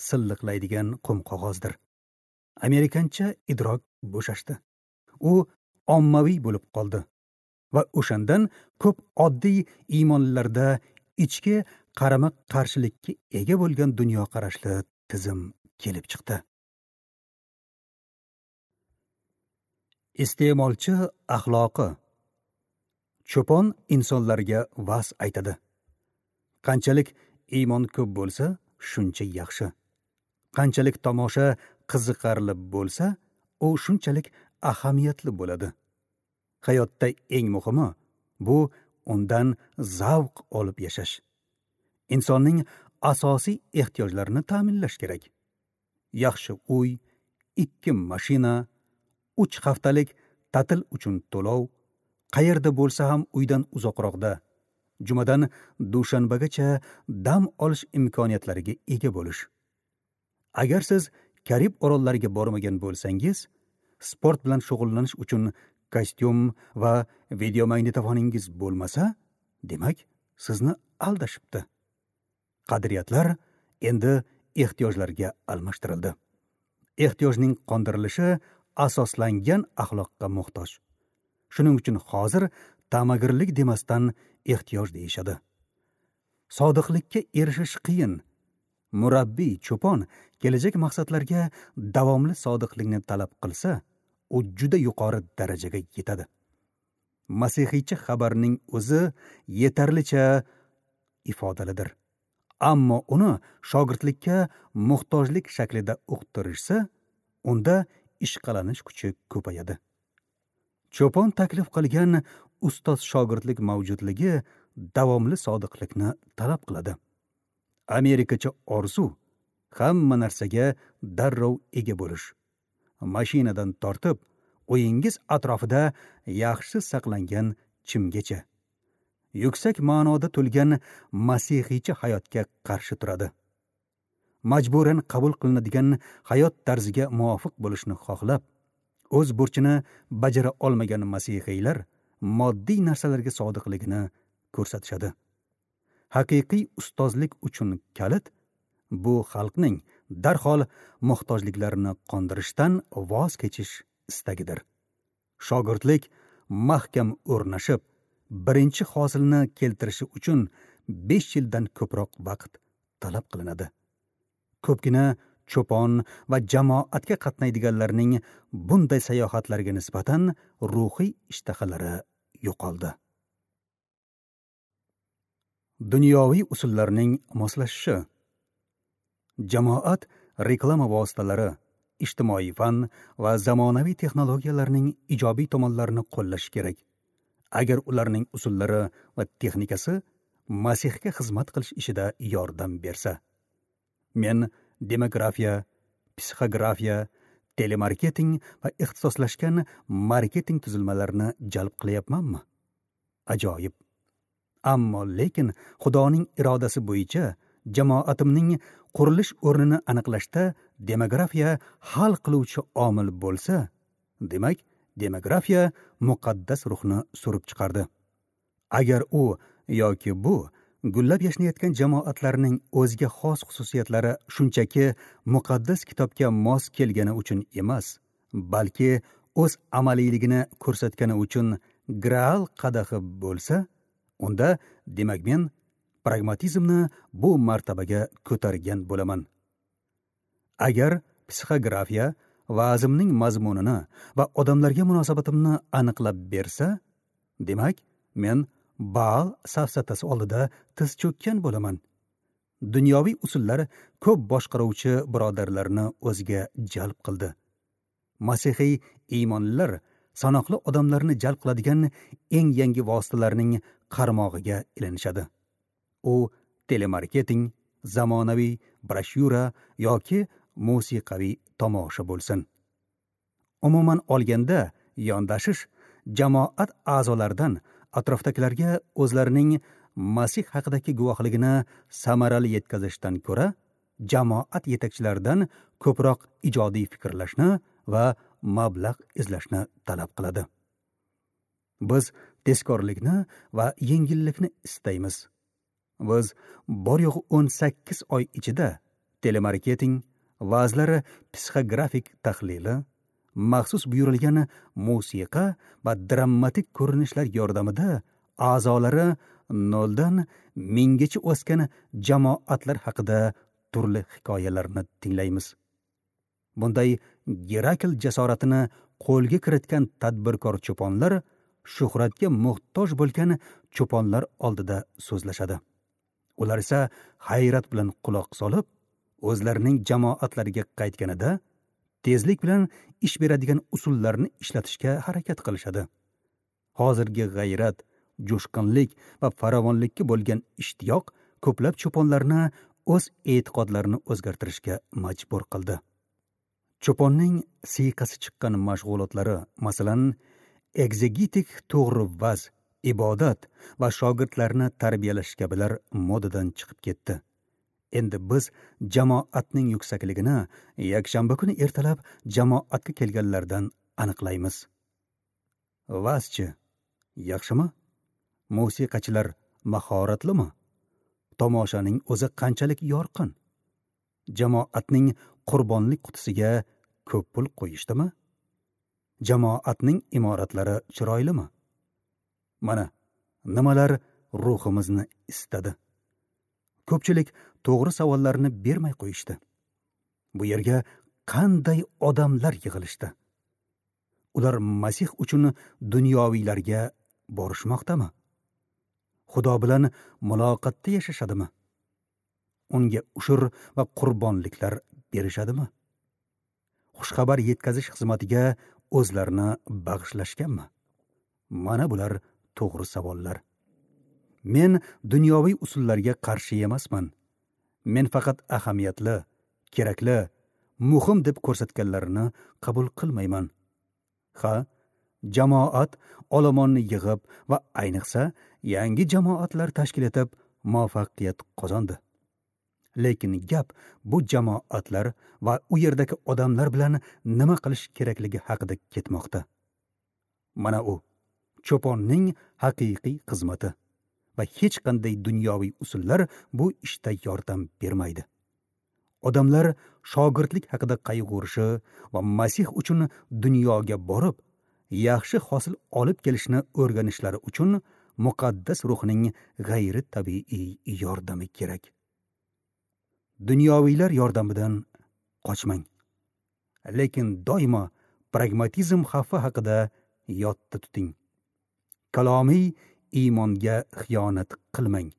silliqlaydigan qum qog'ozdir. Amerikancha idrok bo'shashdi. U ommaviy bo'lib qoldi va o'shandan ko'p oddiy iymonlilarda ichki qarama-qarshilikka ega bo'lgan dunyoqarashli tizim kelib chiqdi. Iste'molchi axloqi. Cho'pon insonlarga va'z aytadi. Qanchalik iymon ko'p bo'lsa, shuncha yaxshi. Qanchalik tomosha qiziqarli bo'lsa, u shunchalik ahamiyatli bo'ladi. Hayotda eng muhimi bu undan zavq olib yashash. Insonning asosiy ehtiyojlarini ta'minlash kerak. Yaxshi uy, ikki mashina, uch haftalik ta'til uchun to'lov, qayerda bo'lsa ham uydan uzoqroqda, jumadan dushanbagacha dam olish imkoniyatlariga ega bo'lish. Agar siz Karib orollariga bormagan bo'lsangiz, sport bilan shug'ullanish uchun kostyum va videomagnitofoningiz bo'lmasa, demak, sizni aldashibdi. Qadriyatlar endi ehtiyojlarga almashtirildi. Ehtiyojning qondirilishi asoslangan axloqqa muhtoj. Shuning uchun hozir ta'magirlik demasdan ehtiyoj deyishadi. Sodiqlikka erishish qiyin. Murabbiy cho'pon kelajak maqsadlarga davomli sodiqlikni talab qilsa, u juda yuqori darajaga yetadi. Masihiycha xabarning o'zi yetarlicha ifodalidir. Ammo uni shogirdlikka muhtojlik shaklida uqtirishsa, unda ishqalanish kuchi ko'payadi. Cho'pon taklif qilgan ustoz shogirdlik mavjudligi davomli sodiqlikni talab qiladi. Amerikacha orzu hamma narsaga darrov ega bo'lish. Mashinadan tortib, uyingiz atrofida yaxshi saqlangan chimgacha. Yuksak ma'noda to'lgan masihiycha hayotga qarshi turadi. Majburan qabul qilinadigan hayot tarziga muvofiq bo'lishni xohlab, o'z burchini bajara olmagan masihiylar moddiy narsalarga sodiqligini ko'rsatishadi. Haqiqiy ustozlik uchun kalit bu xalqning darhol muhtojliklarini qondirishdan voz kechish istagidir. Shogirdlik mahkam o'rnashib, birinchi hosilni keltirishi uchun besh yildan ko'proq vaqt talab qilinadi. Ko'pgina cho'pon va jamoatga qatnaydiganlarning bunday sayohatlarga nisbatan ruhiy ishtahalari yo'qoldi. Dunyoviy usullarning moslashishi. Jamoat reklama vositalari, ijtimoiy fan va zamonaviy texnologiyalarning ijobiy tomonlarini qo'llash kerak. Agar ularning usullari va texnikasi Masihga xizmat qilish ishida yordam bersa. Men demografiya, psixografiya, telemarketing va ixtisoslashgan marketing tuzilmalarini jalb qilyapmanmi? Ajoyib. Ammo lekin Xudoning irodasi bo'yicha jamoatimning qurilish o'rnini aniqlashda demografiya hal qiluvchi omil bo'lsa, demak, demografiya muqaddas ruhni surib chiqardi. Agar u yoki bu gullab yashnayotgan jamoatlarning o'ziga xos xususiyatlari shunchaki muqaddas kitobga mos kelgani uchun emas, balki o'z amaliyligini ko'rsatgani uchun Graal qadahi bo'lsa, unda demak men pragmatizmni bu martabaga ko'targan bo'laman. Agar psixografiya va'zimning mazmunini va odamlarga munosabatimni aniqlab bersa, demak men Baal safsatasi oldida tiz cho'kkan bo'laman. Dunyoviy usullar ko'p boshqaruvchi birodarlarni o'ziga jalb qildi. Masihiy iymonlilar sanoqli odamlarni jalb qiladigan eng yangi vositalarning qarmog'iga ilinishadi. U telemarketing, zamonaviy broshyura yoki musiqaviy tomosha bo'lsin. Umuman olganda, yondashish jamoat a'zolaridan atrofdagilarga o'zlarining Masih haqidagi guvohligini samarali yetkazishdan ko'ra, jamoat yetakchilaridan ko'proq ijodiy fikrlashni va mablag' izlashni talab qiladi. Biz tezkorlikni va yengillikni istaymiz. Biz bor yo'g'i o'n sakkiz oy ichida telemarketing, va'zlari psixografik tahlili, maxsus buyurilgan musiqa va dramatik ko'rinishlar yordamida a'zolari noldan minggacha o'sgan jamoatlar haqida turli hikoyalarni tinglaymiz. Bunday Gerakl jasoratini qo'lga kiritgan tadbirkor cho'ponlar shuhratga muhtoj bo'lgan cho'ponlar oldida so'zlashadi. Ular esa hayrat bilan quloq solib, o'zlarining jamoatlariga qaytganida tezlik bilan ish beradigan usullarni ishlatishga harakat qilishadi. Hozirgi g'ayrat, jo'shqinlik va farovonlikka bo'lgan ishtiyoq ko'plab cho'ponlarni o'z e'tiqodlarini o'zgartirishga majbur qildi. Cho'ponning siyqasi chiqqan mashg'ulotlari, masalan, ekzegetik to'g'ri vaz, ibodat va shogirdlarni tarbiyalash kabilar modadan chiqib ketdi. Endi biz jamoatning yuksakligini yakshanba kuni ertalab jamoatga kelganlardan aniqlaymiz. Vazchi yaxshimi? Musiqachilar mahoratlimi? Tomoshaning o'zi qanchalik yorqin? Jamoatning qurbonlik qutisiga ko'p pul qo'yishdimi? Jamoatning imoratlari chiroylimi? Mana nimalar ruhimizni istadi. Ko'pchilik to'g'ri savollarni bermay qo'yishdi. Bu yerga qanday odamlar yig'ilishdi? Ular Masih uchun dunyoviylarga borishmoqdami? Xudo bilan muloqotda yashashadimi? Unga ushur va qurbonliklar berishadimi? Xushxabar yetkazish xizmatiga o'zlarini bag'ishlashganmi? Mana bular to'g'ri savollar. Men dunyoviy usullarga qarshi emasman. Men faqat ahamiyatli, kerakli, muhim deb ko'rsatganlarini qabul qilmayman. Ha, jamoat olomonni yig'ib va ayniqsa yangi jamoatlar tashkil etib muvaffaqiyat qozondi. Lekin gap bu jamoatlar va u yerdagi odamlar bilan nima qilish kerakligi haqida ketmoqda. Mana u cho'ponning haqiqiy xizmati va hech qanday dunyoviy usullar bu ishda yordam bermaydi. Odamlar shogirdlik haqida qayg'urishi va Masih uchun dunyoga borib, yaxshi hosil olib kelishni o'rganishlari uchun muqaddas ruhning g'ayri tabiiy yordami kerak. Dunyoviylar yordamidan qochmang. Lekin doimo pragmatizm xavfi haqida yodda tuting. Kalomiy iymonga xiyonat qilmang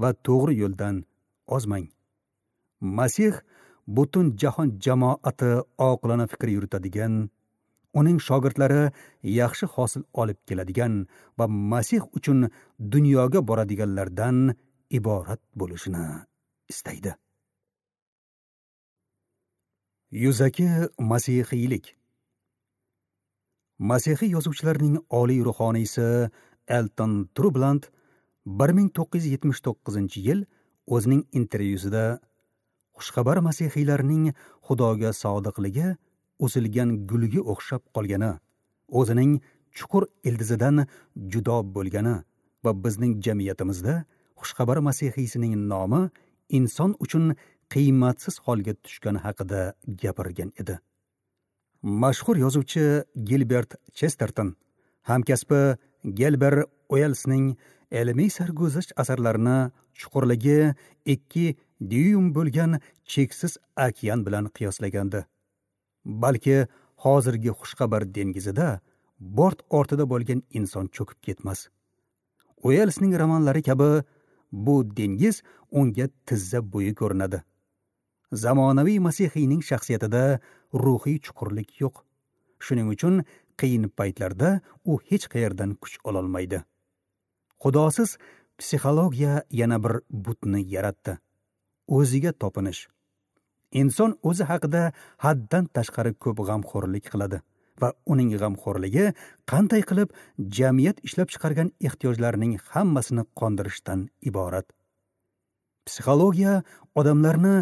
va to'g'ri yo'ldan ozmang. Masih butun jahon jamoati oqilona fikr yuritadigan, uning shogirdlari yaxshi hosil olib keladigan va Masih uchun dunyoga boradiganlardan iborat bo'lishini istaydi. Yuzaki masihiylik. Masihiy yozuvchilarning oliy ruhoniysi Elton Trubland bir ming to'qqiz yuz yetmish to'qqizinchi yil o'zining intervyusida xushxabar masihiylarning Xudoga sodiqligi uzilgan gulga o'xshab qolgani, o'zining chuqur ildizidan judo bo'lgani va bizning jamiyatimizda xushxabar masihiysining nomi inson uchun qiymatsiz holga tushgani haqida gapirgan edi. Mashhur yozuvchi Gilbert Chesterton hamkasbi Gelber Uellsning ilmiy sarguzasht asarlarini chuqurligi ikki dyuym bo'lgan cheksiz okean bilan qiyoslagandi. Balki hozirgi xushxabar dengizida bort ortida bo'lgan inson cho'kib ketmas. Uellsning romanlari kabi bu dengiz unga tizza bo'yi ko'rinadi. Zamonaviy masihiyning shaxsiyatida ruhiy chuqurlik yo'q. Shuning uchun qiyin paytlarda u hech qayerdan kuch ololmaydi. Xudosiz psixologiya yana bir butni yaratdi. O'ziga topinish. Inson o'zi haqida haddan tashqari ko'p g'amxo'rlik qiladi va uning g'amxo'rligi qanday qilib jamiyat ishlab chiqargan ehtiyojlarning hammasini qondirishdan iborat. Psixologiya odamlarni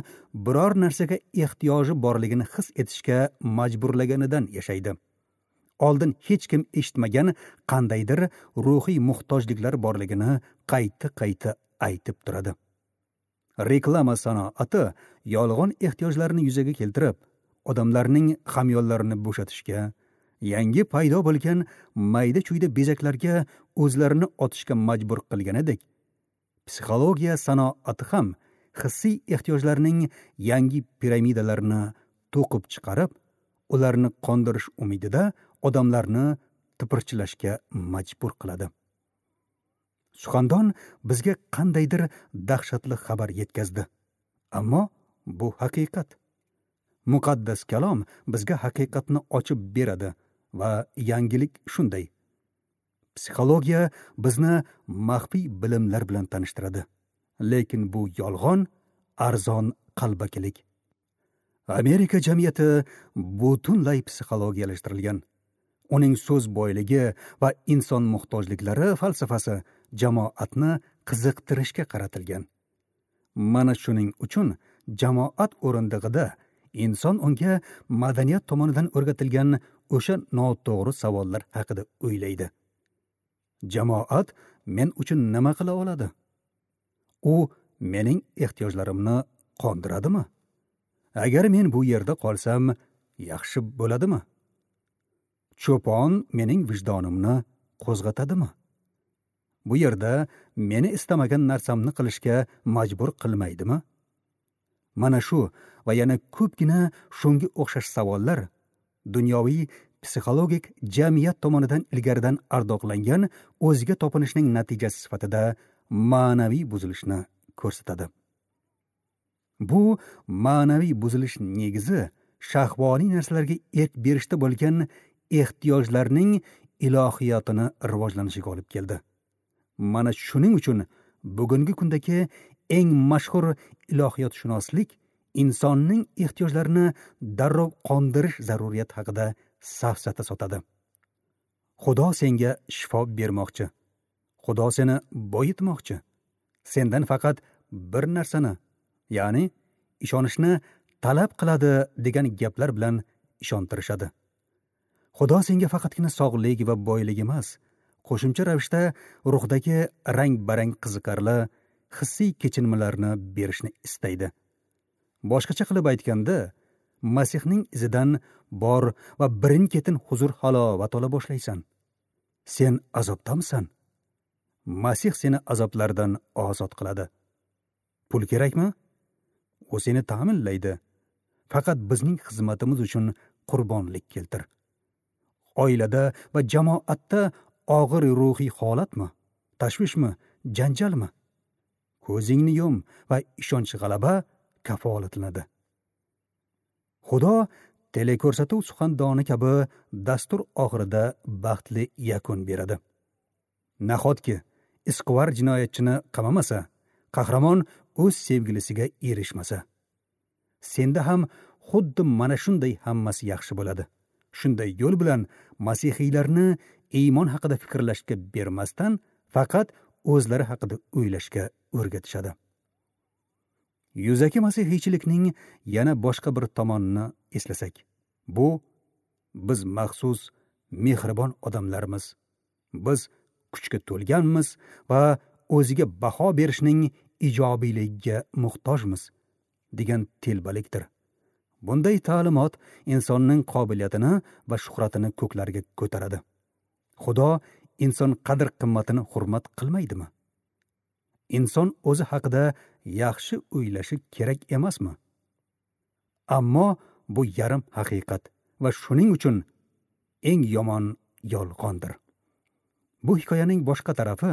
biror narsaga ehtiyoji borligini his etishga majburlaganidan yashaydi. Oldin hech kim eshitmagan qandaydir ruhiy muhtojliklar borligini qayta-qayta aytib turadi. Reklama sanoati yolg'on ehtiyojlarni yuzaga keltirib, odamlarning hamyonlarini bo'shatishga, yangi paydo bo'lgan mayda-chuyda bezaklarga o'zlarini otishga majbur qilganidek, psixologiya sanoati ham hissiy ehtiyojlarning yangi piramidalarini to'qib chiqarib, ularni qondirish umidida odamlarni tipirchilashga majbur qiladi. Suxandon bizga qandaydir dahshatli xabar yetkazdi. Ammo bu haqiqat. Muqaddas kalom bizga haqiqatni ochib beradi va yangilik shunday. Psixologiya bizni maxfiy bilimlar bilan tanishtiradi. Lekin bu yolg'on, arzon qalbakilik. Amerika jamiyati butunlay psixologiyalashtirilgan. Uning so'z boyligi va inson muhtojliklari falsafasi jamoatni qiziqtirishga qaratilgan. Mana shuning uchun jamoat o'rindig'ida inson unga madaniyat tomonidan o'rgatilgan o'sha noto'g'ri savollar haqida o'ylaydi. Jamoat men uchun nima qila oladi? U mening ehtiyojlarimni qondiradimi? Agar men bu yerda qolsam, yaxshi bo'ladimi? Cho'pon mening vijdonimni qo'zg'atadimi? Bu yerda meni istamagan narsamni qilishga majbur qilmaydimi? Mana shu va yana ko'pgina shunga o'xshash savollar dunyoviy psixologik jamiyat tomonidan ilgaridan ardoqlangan o'ziga topinishning natijasi sifatida ma'naviy buzilishni ko'rsatadi. Bu ma'naviy buzilish negizi shahvoniy narsalarga erk berishda bo'lgan ehtiyojlarning ilohiyotini rivojlanishiga olib keldi. Mana shuning uchun bugungi kundagi eng mashhur ilohiyotshunoslik insonning ehtiyojlarini darrov qondirish zaruriyati haqida safsata sotadi. Xudo senga shifo bermoqchi. Xudo seni boyitmoqchi. Sendan faqat bir narsani, Ya'ni ishonishni talab qiladi degan gaplar bilan ishontirishadi. Xudo senga faqatgina sog'lik va boylik emas, qo'shimcha ravishda ruhdagi rang-barang qiziqarli hissiy kechinmalarni berishni istaydi. Boshqacha qilib aytganda, Masihning izidan bor va birin-ketin huzur-halovat ola boshlaysan. Sen azobdamisan? Masih seni azoblardan ozod qiladi. Pul kerakmi? U seni ta'minlaydi. Faqat bizning xizmatimiz uchun qurbonlik keltir. Oilada va jamoatda og'ir ruhiy holatmi? Tashvishmi? Janjalmi? Ko'zingni yum va ishonch g'alaba kafolatlanadi. Xudo teleko'rsatuv suxandoni kabi dastur oxirida baxtli yakun beradi. Nahotki izquvar jinoyatchini qamamasa, qahramon o'z sevgilisiga erishmasa? Senda ham xuddi mana shunday hammasi yaxshi bo'ladi. Shunday yo'l bilan masihiylarni iymon haqida fikrlashga bermasdan, faqat o'zlari haqida o'ylashga o'rgatishadi. Yuzaki masihiychilikning yana boshqa bir tomonini eslasak, bu biz maxsus mehribon odamlarmiz. Biz kuchga to'lganmiz va o'ziga baho berishning ijobiyligiga muhtojmiz degan telbalikdir. Bunday ta'limot insonning qobiliyatini va shuhratini ko'klarga ko'taradi. Xudo inson qadr-qimmatini hurmat qilmaydimi? Inson o'zi haqida yaxshi o'ylashi kerak emasmi? Ammo bu yarim haqiqat va shuning uchun eng yomon yolg'ondir. Bu hikoyaning boshqa tarafi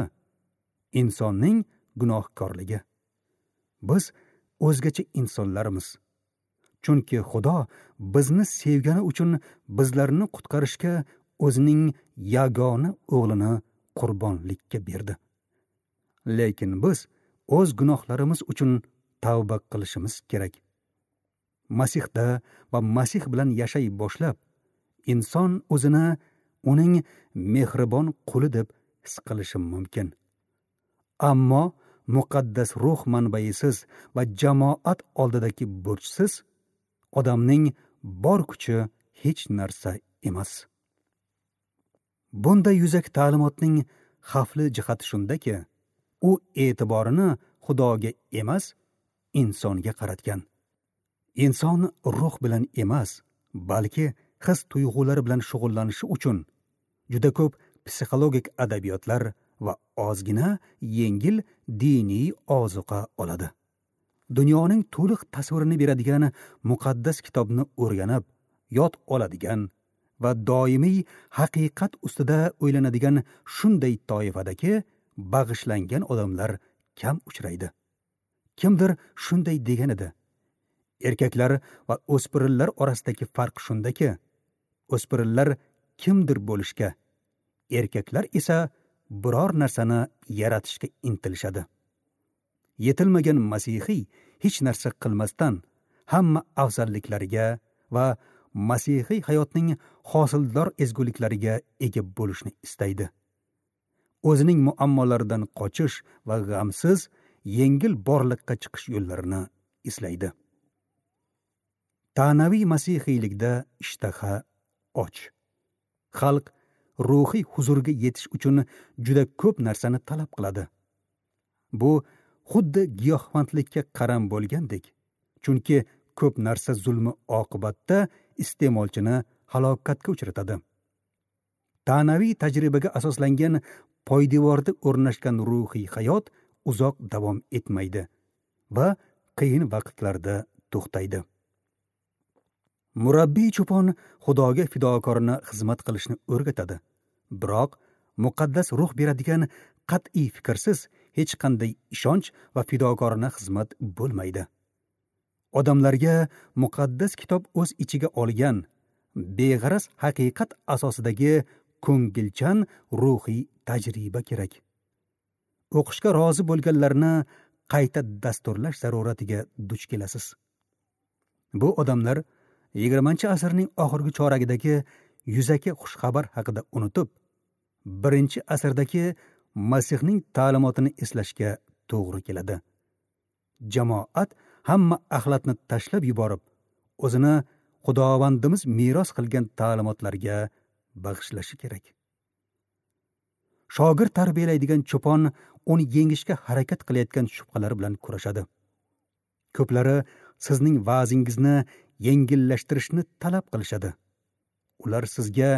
insonning gunohkorligi. Biz o'zgacha insonlarmiz. Chunki Xudo bizni sevgani uchun bizlarni qutqarishga o'zining yagona o'g'lini qurbonlikka berdi. Lekin biz o'z gunohlarimiz uchun tavba qilishimiz kerak. Masihda va Masih bilan yashay boshlab, inson o'zini uning mehribon quli deb his qilishi mumkin. Ammo muqaddas ruh manbaisiz va jamoat oldidagi burchsiz odamning bor kuchi hech narsa emas. Bunday yuzaki ta'limotning xavfli jihati shundaki, u e'tiborini Xudoga emas, insonga qaratgan. Inson ruh bilan emas, balki his tuyg'ulari bilan shug'ullanishi uchun juda ko'p psixologik adabiyotlar va ozgina yengil diniy ozuqa oladi. Dunyoning to'liq tasvirini beradigan muqaddas kitobni o'rganib, yod oladigan va doimiy haqiqat ustida o'ylanadigan shunday toifadagi bag'ishlangan odamlar kam uchraydi. Kimdir shunday degan edi: erkaklar va o'spirinlar orasidagi farq shundaki, o'spirinlar kimdir bo'lishga, erkaklar esa biror narsani yaratishga intilishadi. Yetilmagan masihiy hech narsa qilmasdan hamma afzalliklariga va masihiy hayotning hosildor ezguliklariga ega bo'lishni istaydi. O'zining muammolaridan qochish va g'amsiz, yengil borliqqa chiqish yo'llarini izlaydi. Ta'naviy masihiylikda ishtaha och. Xalq ruhiy huzurga yetish uchun juda ko'p narsani talab qiladi. Bu xuddi giyohvandlikka qaram bo'lgandek, chunki ko'p narsa zulmi oqibatda iste'molchini halokatga uchratadi. Ta'naviy tajribaga asoslangan poydevorda o'rnashgan ruhiy hayot uzoq davom etmaydi va qiyin vaqtlarda to'xtaydi. Murabbiy cho'pon Xudoga fidokorona xizmat qilishni o'rgatadi. Biroq muqaddas ruh beradigan qat'iy fikrsiz hech qanday ishonch va fidokorona xizmat bo'lmaydi. Odamlarga muqaddas kitob o'z ichiga olgan beg'araz haqiqat asosidagi ko'ngilchan ruhiy tajriba kerak. O'qishga rozi bo'lganlarni qayta dasturlash zaruratiga duch kelasiz. Bu odamlar yigirmanchi asrning oxirgi choragidagi yuzaki xushxabar haqida unutib, birinchi asrdagi Masihning ta'limotini eslashga to'g'ri keladi. Jamoat hamma axlatni tashlab yuborib, o'zini Xudovandimiz meros qilgan ta'limotlarga bag'ishlashi kerak. Shogird tarbiyalaydigan cho'pon uni yengishga harakat qilayotgan shubhalar bilan kurashadi. Ko'plari sizning va'zingizni yengillashtirishni talab qilishadi. Ular sizga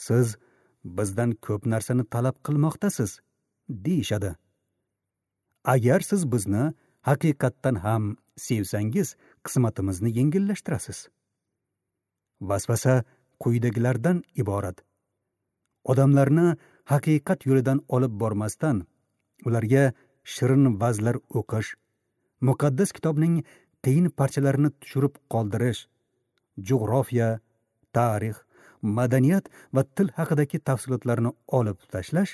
"Siz bizdan ko'p narsani talab qilmoqdasiz" deyishadi. Agar siz bizni haqiqatdan ham sevsangiz, qismatimizni yengillashtirasiz. Vasvasa quyidagilardan iborat. Odamlarni haqiqat yo'lidan olib bormasdan, ularga shirin va'zlar o'qish, muqaddas kitobning qiyin parchalarini tushirib qoldirish, jo'g'rofiya, tarix, madaniyat va til haqidagi tafsilotlarni olib tashlash,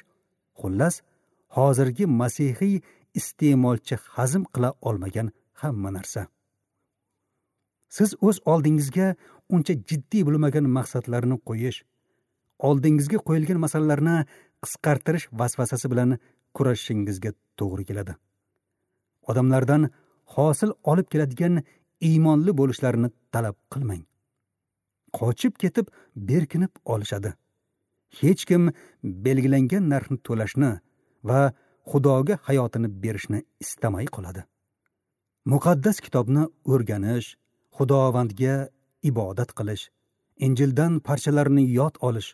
xullas, hozirgi masihiy iste'molchi hazm qila olmagan hamma narsa. Siz o'z oldingizga uncha jiddiy bo'lmagan maqsadlarni qo'yish, oldingizga qo'yilgan masalalarni qisqartirish vasvasasi bilan kurashishingizga to'g'ri keladi. Odamlardan hosil olib keladigan iymonli bo'lishlarini talab qilmang. Qochib ketib berkinib olishadi. Hech kim belgilangan narxni to'lashni va Xudoga hayotini berishni istamay qoladi. Muqaddas kitobni o'rganish, Xudovandga ibodat qilish, Injildan parchalarni yod olish,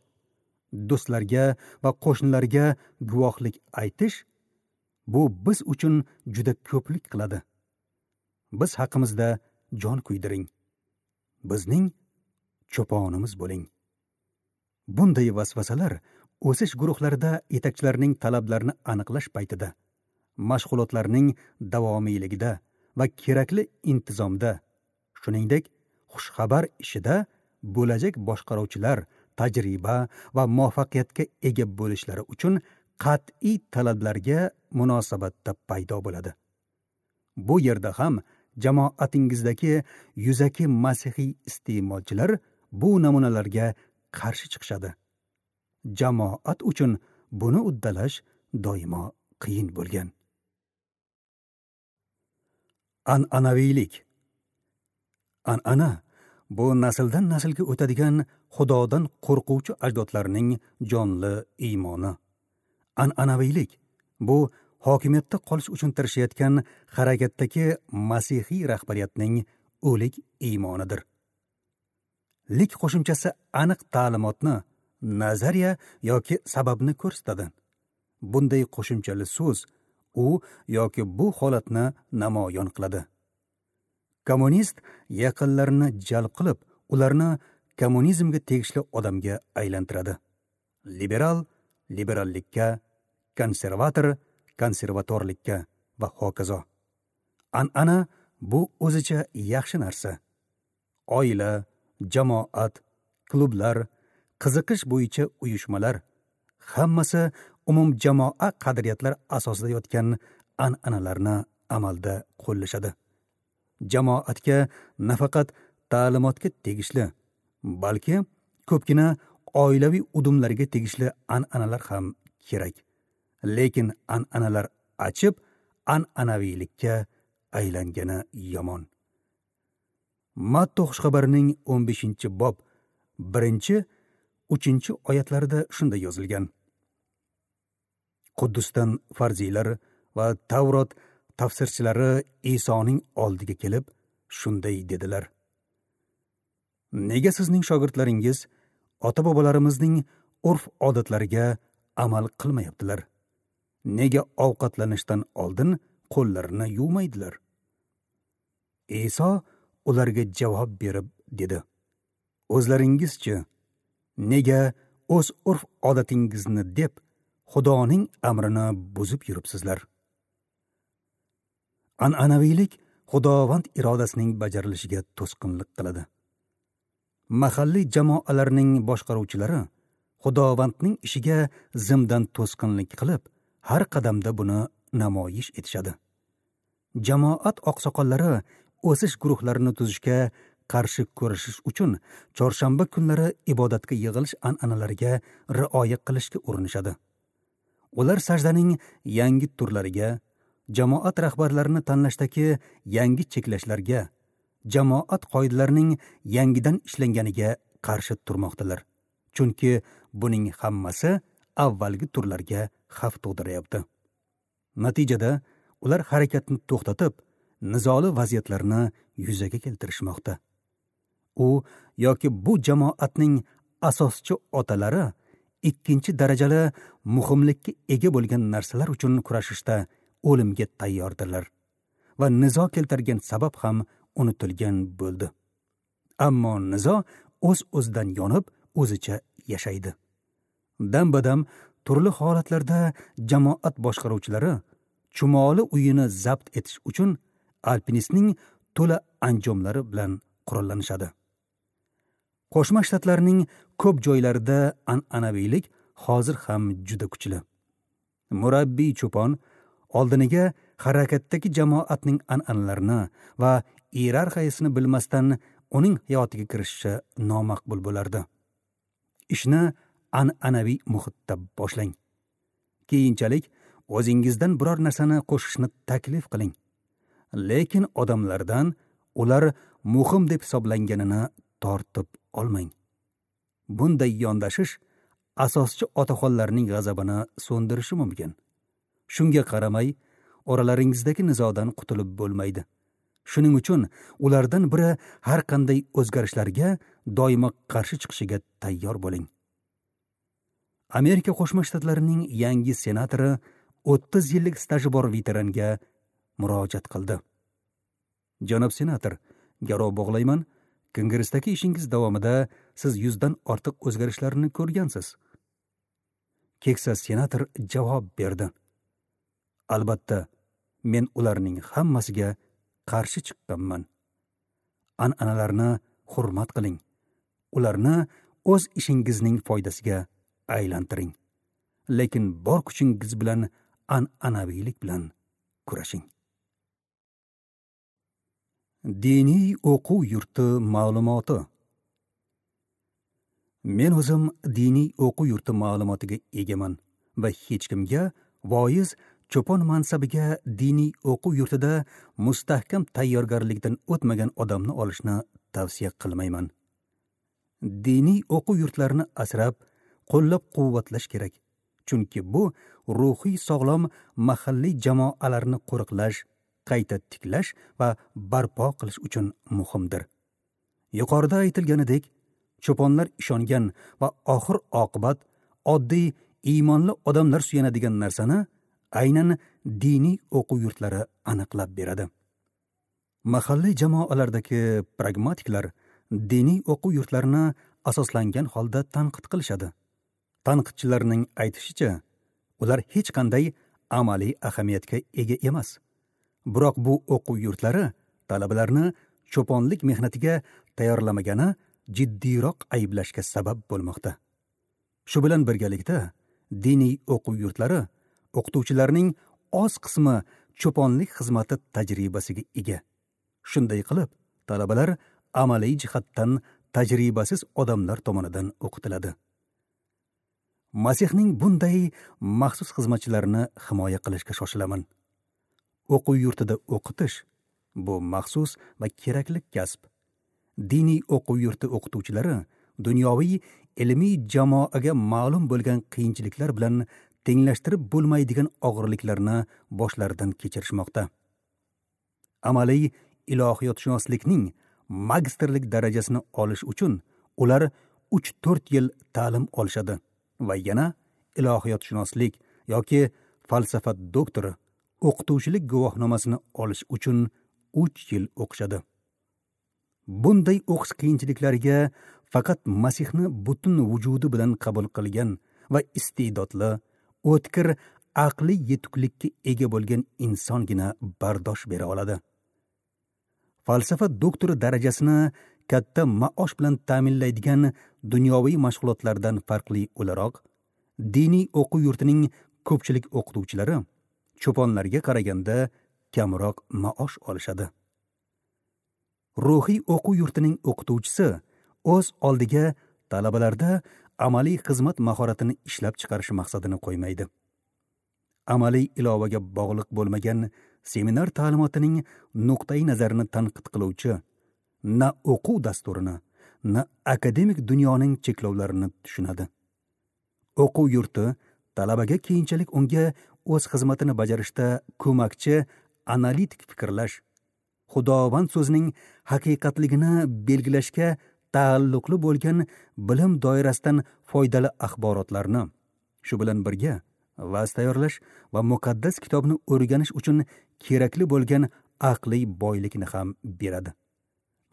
do'stlarga va qo'shnilarga guvohlik aytish bu biz uchun juda ko'plik qiladi. Biz haqimizda jon kuydiring. Bizning cho'ponimiz bo'ling. Bunday vasvasalar o'sish guruhlarida yetakchilarning talablarini aniqlash paytida, mashg'ulotlarning davomiyligida va kerakli intizomda, shuningdek, xushxabar ishida bo'lajak boshqaruvchilar tajriba va muvaffaqiyatga ega bo'lishlari uchun qat'iy talablarga munosabatda paydo bo'ladi. Bu yerda ham jamoatingizdagi yuzaki masihiy iste'molchilar bu namunalarga qarshi chiqishadi. Jamoat uchun buni uddalash doimo qiyin bo'lgan. An'anaviylik. An'ana bu nasldan naslga o'tadigan Xudodan qo'rquvchi ajdodlarning jonli iymoni. An'anaviylik bu hokimiyatda qolish uchun tirishayotgan harakatdagi masihiy rahbariyatning o'lik iymonidir. Lik qo'shimchasi aniq ta'limotni, nazariya yoki sababni ko'rsatadi. Bunday qo'shimchali so'z u yoki bu holatni namoyon qiladi. Kommunist yaqinlarini jalb qilib, ularni kommunizmga tegishli odamga aylantiradi. Liberal liberallikka, konservator konservatorlikka va hokazo. An'ana bu o'zicha yaxshi narsa. Oila, jamoat, klublar, qiziqish bo'yicha uyushmalar hammasi umumjamoa qadriyatlar asosida yotgan an'analarni amalda qo'llashadi. Jamoatga nafaqat ta'limotga tegishli, balki ko'pgina oilaviy udumlarga tegishli an'analar ham kerak. Lekin an'analar achib, an'anaviylikka aylangani yomon. Matto xushxabarining o'n beshinchi bob birinchi, uchinchi oyatlarida shunday yozilgan: Quddusdan farziylar va Tavrot tafsirchilari Isoning oldiga kelib shunday dedilar: Nega sizning shogirdlaringiz ota-bobolarimizning urf-odatlariga amal qilmayaptilar? Nega ovqatlanishdan oldin qo'llarini yuvmaydilar? Iso ularga javob berib dedi: O'zlaringizchi nega o'z urf-odatingizni deb Xudoning amrini buzib yuribsizlar? An'anaviylik Xudovand irodasining bajarilishiga to'sqinlik qiladi. Mahalliy jamoalarning boshqaruvchilari Xudovandning ishiga zimdan to'sqinlik qilib, har qadamda buni namoyish etishadi. Jamoat oqsoqollari o'sish guruhlarini tuzishga qarshi ko'rishish uchun chorshanba kunlari ibodatga yig'ilish an'analariga rioya qilishga urinishadi. Ular sajdaning yangi turlariga, jamoat rahbarlarini tanlashdagi yangi cheklashlarga, jamoat qoidalarining yangidan ishlanganiga qarshi turmoqdalar. Chunki buning hammasi avvalgi turlarga xavf tug'diryapti. Natijada ular harakatni to'xtatib, nizoli vaziyatlarni yuzaga keltirishmoqda. U yoki bu jamoatning asoschi otalari ikkinchi darajali muhimlikka ega bo'lgan narsalar uchun kurashishda o'limga tayyordirlar va nizo keltirgan sabab ham unutilgan bo'ldi. Ammo nizo o'z-o'zidan yonib, o'zicha yashaydi. Dam-badam turli holatlarda jamoat boshqaruvchilari chumoli uyini zabt etish uchun alpinistning to'la anjomlari bilan qurollanishadi. Qo'shma Shtatlarning ko'p joylarida an'anaviylik hozir ham juda kuchli. Murabbiy cho'pon oldiniga harakatdagi jamoatning an'analarini va iyerarxiyasini bilmasdan uning hayotiga kirishishi nomaqbul bo'lardi. Ishni an'anaviy muhitda boshlang. Keyinchalik o'zingizdan biror narsani qo'shishni taklif qiling. Lekin odamlardan ular muhim deb hisoblanganini tortib olmang. Bunday yondashish asoschi otaxonlarning g'azabini so'ndirishi mumkin. Shunga qaramay, oralaringizdagi nizodan qutulib bo'lmaydi. Shuning uchun ulardan biri har qanday o'zgarishlarga doimo qarshi chiqishiga tayyor bo'ling. Amerika Qo'shma Shtatlarining yangi senatori o'ttiz yillik staji bor veteranga murojaat qildi. Janob senator, garov bog'layman, Kongressdagi ishingiz davomida siz yuzdan ortiq o'zgarishlarni ko'rgansiz. Keksa senator javob berdi. Albatta, men ularning hammasiga qarshi chiqqanman. An'analarni hurmat qiling. Ularni o'z ishingizning foydasiga aylantiring. Lekin bor kuchingiz bilan an'anaviylik bilan kurashing. Diniy o'quv yurti ma'lumoti. Men o'zim diniy o'quv yurti ma'lumotiga egaman va hech kimga voiz cho'pon mansabiga diniy o'quv yurtida mustahkam tayyorgarlikdan o'tmagan odamni olishni tavsiya qilmayman. Diniy o'quv yurtlarini asrab, qo'llab-quvvatlash kerak. Chunki bu ruhiy sog'lom mahalliy jamoalarni qo'riqlash, qayta tiklash va barpo qilish uchun muhimdir. Yuqorida aytilganidek, cho'ponlar ishongan va oxir oqibat oddiy iymonli odamlar suyanadigan narsani aynan diniy o'quv yurtlari aniqlab beradi. Mahalliy jamoalardagi pragmatiklar diniy o'quv yurtlarini asoslangan holda tanqid qilishadi. Tanqidchilarning aytishicha, ular hech qanday amaliy ahamiyatga ega emas. Biroq bu o'quv yurtlari talabalarni cho'ponlik mehnatiga tayyorlamagani jiddiyroq ayblashga sabab bo'lmoqda. Shu bilan birgalikda diniy o'quv yurtlari o'qituvchilarning oz qismi cho'ponlik xizmati tajribasiga ega. Shunday qilib, talabalar amaliy jihatdan tajribasiz odamlar tomonidan o'qitiladi. Masihning bunday maxsus xizmatchilarini himoya qilishga shoshilaman. O'quv yurtida o'qitish bu maxsus va kerakli kasb. Diniy o'quv yurti o'qituvchilari dunyoviy ilmiy jamoaga ma'lum bo'lgan qiyinchiliklar bilan tenglashtirib bo'lmaydigan og'irliklarni boshlaridan kechirishmoqda. Amaliy ilohiyotshunoslikning magistrlik darajasini olish uchun ular uch to'rt yil ta'lim olishadi va yana ilohiyotshunoslik yoki falsafa doktori o'qituvchilik guvohnomasini olish uchun uch yil o'qishadi. Bunday o'qish qiyinchiliklariga faqat Masihni butun vujudi bilan qabul qilgan va iste'dodli, o'tkir aqliy yetuklikka ega bo'lgan insongina bardosh bera oladi. Falsafa doktori darajasini katta maosh bilan ta'minlaydigan dunyoviy mashg'ulotlardan farqli o'laroq, diniy o'quv yurtining ko'pchilik o'qituvchilari cho'ponlarga qaraganda kamroq maosh olishadi. Ruhiy o'quv yurtining o'qituvchisi o'z oldiga talabalarda amaliy xizmat mahoratini ishlab chiqarish maqsadini qo'ymaydi. Amaliy ilovaga bog'liq bo'lmagan seminar ta'limotining nuqtai nazarini tanqid qiluvchi na o'quv dasturini, na akademik dunyoning cheklovlarini tushunadi. O'quv yurti talabaga keyinchalik unga o'z xizmatini bajarishda ko'makchi analitik fikrlash, Xudovand so'zining haqiqatligini belgilashga taalluqli bo'lgan bilim doirasidan foydali axborotlarni, shu bilan birga va'z tayyorlash va muqaddas kitobni o'rganish uchun kerakli bo'lgan aqliy boylikni ham beradi.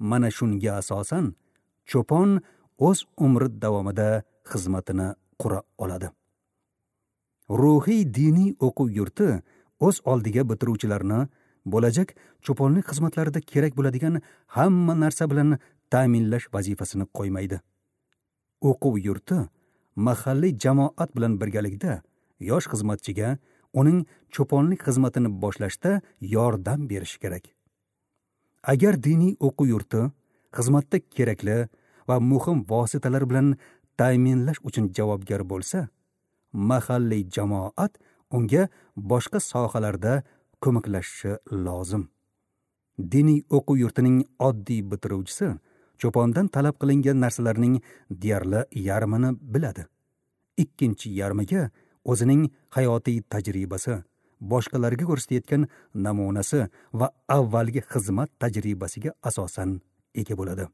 Mana shunga asosan cho'pon o'z umri davomida xizmatini qura oladi. Ruhiy diniy o'quv yurti o'z oldiga bitiruvchilarni bo'lajak cho'ponlik xizmatlarida kerak bo'ladigan hamma narsa bilan ta'minlash vazifasini qo'ymaydi. O'quv yurti mahalliy jamoat bilan birgalikda yosh xizmatchiga uning cho'ponlik xizmatini boshlashda yordam berishi kerak. Agar diniy o'quv yurti xizmatda kerakli va muhim vositalar bilan ta'minlash uchun javobgar bo'lsa, mahalliy jamoat unga boshqa sohalarda ko'maklashishi lozim. Diniy o'quv yurtining oddiy bitiruvchisi cho'pondan talab qilingan narsalarning deyarli yarmini biladi. Ikkinchi yarmiga o'zining hayotiy tajribasi, boshqalarga ko'rsatayotgan namunasi va avvalgi xizmat tajribasiga asosan ega bo'ladi.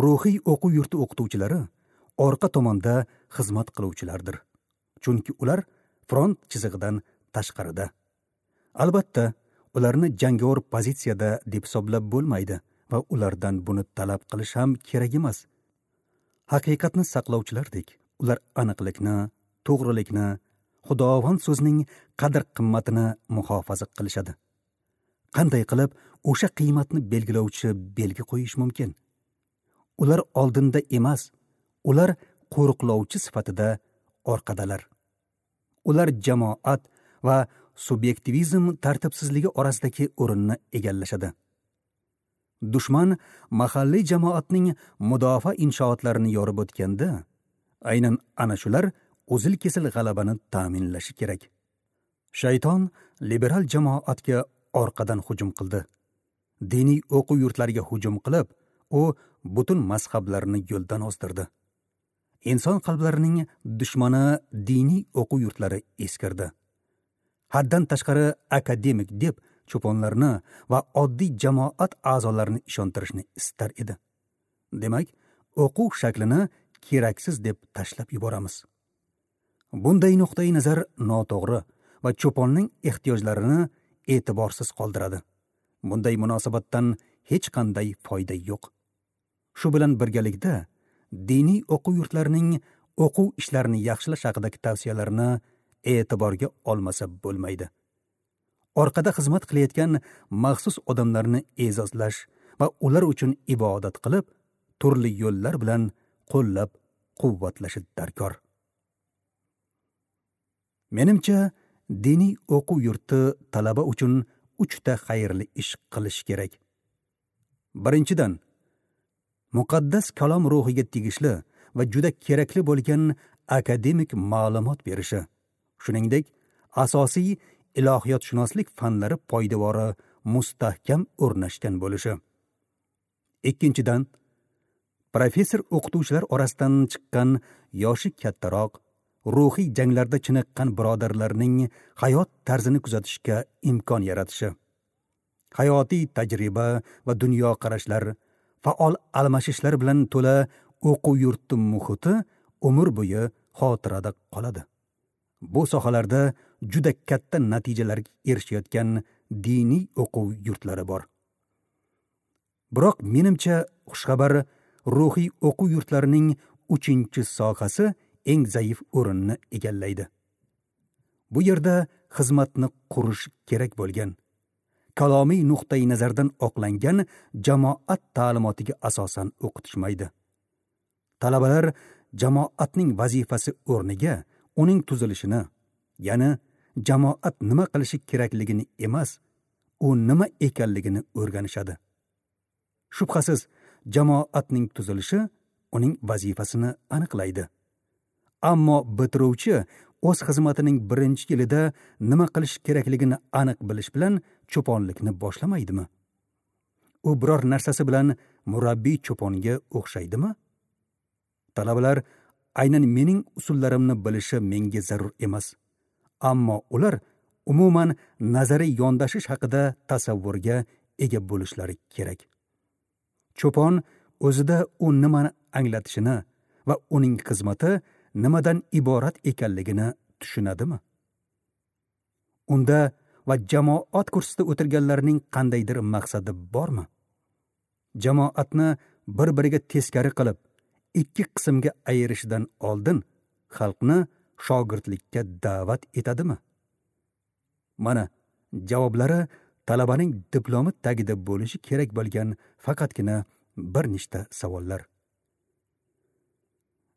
Ruhiy o'quv yurti o'qituvchilari orqa tomonda xizmat qiluvchilardir. Chunki ular front chizig'idan tashqarida. Albatta, ularni jangovar pozitsiyada deb hisoblab bo'lmaydi va ulardan buni talab qilish ham kerak emas. Haqiqatni saqlovchilardek, ular aniqlikni, to'g'rilikni, Xudovand so'zining qadr-qimmatini muhofaza qilishadi. Qanday qilib o'sha qiymatni belgilovchi belgi qo'yish mumkin? Ular oldinda emas, ular qo'riqlovchi sifatida orqadalar. Ular jamoat va subyektivizm tartibsizligi orasidagi o'rinni egallashadi. Dushman mahalliy jamoatning mudofaa inshootlarini yorib o'tganda, aynan ana shular uzil-kesil g'alabani ta'minlashi kerak. Shayton liberal jamoatga orqadan hujum qildi. Diniy o'quv yurtlariga hujum qilib, u butun mazhablarni yo'ldan ozdirdi. Inson qalblarining dushmani diniy o'quv yurtlari eskirdi. Haddan tashqari akademik deb cho'ponlarni va oddiy jamoat a'zolarini ishontirishni istar edi. Demak, o'quv shaklini keraksiz deb tashlab yuboramiz. Bunday nuqtai nazar noto'g'ri va cho'ponning ehtiyojlarini e'tiborsiz qoldiradi. Bunday munosabatdan hech qanday foyda yo'q. Shu bilan birgalikda diniy o'quv yurtlarining o'quv ishlarini yaxshilash haqidagi tavsiyalarni e'tiborga olmasa bo'lmaydi. Orqada xizmat qilayotgan maxsus odamlarni e'zozlash va ular uchun ibodat qilib, turli yo'llar bilan qo'llab quvvatlashi darkor. Menimcha, diniy o'quv yurti talaba uchun uchta xayrli ish qilish kerak. Birinchidan, muqaddas kalom ruhiga tegishli va juda kerakli bo'lgan akademik ma'lumot berishi, shuningdek, asosiy ilohiyotshunoslik fanlari poydevori mustahkam o'rnashgan bo'lishi. Ikkinchidan, professor o'qituvchilar orasidan chiqqan yoshi kattaroq, ruhiy janglarda chiniqqan birodarlarning hayot tarzini kuzatishga imkon yaratishi. Hayotiy tajriba va dunyoqarashlar, faol almashishlar bilan to'la o'quv yurti muhiti umr bo'yi xotirada qoladi. Bu sohalarda juda katta natijalarga erishayotgan diniy o'quv yurtlari bor. Biroq menimcha xushxabar ruhiy o'quv yurtlarining uchinchi sohasi eng zaif o'rinni egallaydi. Bu yerda xizmatni qurish kerak bo'lgan, kalomiy nuqtai nazardan oqlangan jamoat ta'limotiga asosan o'qitishmaydi. Talabalar jamoatning vazifasi o'rniga uning tuzilishini, ya'ni jamoat nima qilishi kerakligini emas, u nima ekanligini o'rganishadi. Shubhasiz, jamoatning tuzilishi uning vazifasini aniqlaydi. Ammo bitiruvchi o'z xizmatining birinchi yilida nima qilish kerakligini aniq bilish bilan cho'ponlikni boshlamaydimi? U biror narsasi bilan murabbiy cho'ponga o'xshaydimi? Talabalar aynan mening usullarimni bilishi menga zarur emas. Ammo ular umuman nazariy yondashish haqida tasavvurga ega bo'lishlari kerak. Cho'pon o'zida u nimani anglatishini va uning xizmati nimadan iborat ekanligini tushunadimi? Unda va jamoat kursida o'tirganlarning qandaydir maqsadi bormi? Jamoatni bir-biriga teskari qilib, ikki qismga ayirishdan oldin xalqni shogirdlikka da'vat etadimi? Mana javoblari talabaning diplomi tagida bo'lishi kerak bo'lgan faqatgina bir nechta savollar.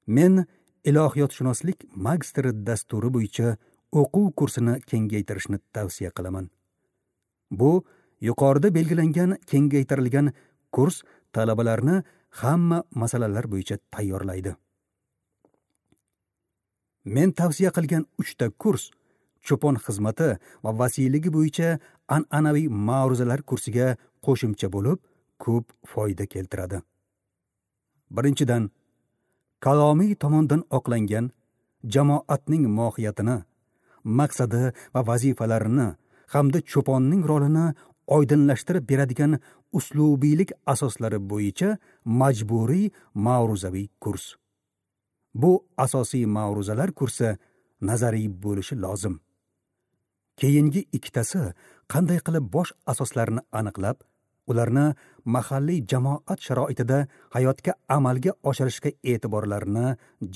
Men ilohiyotshunoslik magistri dasturi bo'yicha o'quv kursini kengaytirishni tavsiya qilaman. Bu yuqorida belgilangan kengaytirilgan kurs talabalarni hamma masalalar bo'yicha tayyorlaydi. Men tavsiya qilgan uchta kurs cho'pon xizmati va vasiyligi bo'yicha an'anaviy ma'ruzalar kursiga qo'shimcha bo'lib, ko'p foyda keltiradi. Birinchidan, kalomiy tomondan oqlangan jamoatning mohiyatini, maqsadi va vazifalarini hamda cho'ponning rolini oydinlashtirib beradigan uslubiylik asoslari bo'yicha majburiy ma'ruzaviy kurs. Bu asosiy ma'ruzalar kursi nazariy bo'lishi lozim. Keyingi ikkitasi qanday qilib bosh asoslarni aniqlab, ularni mahalliy jamoat sharoitida hayotga amalga oshirishga e'tiborlarini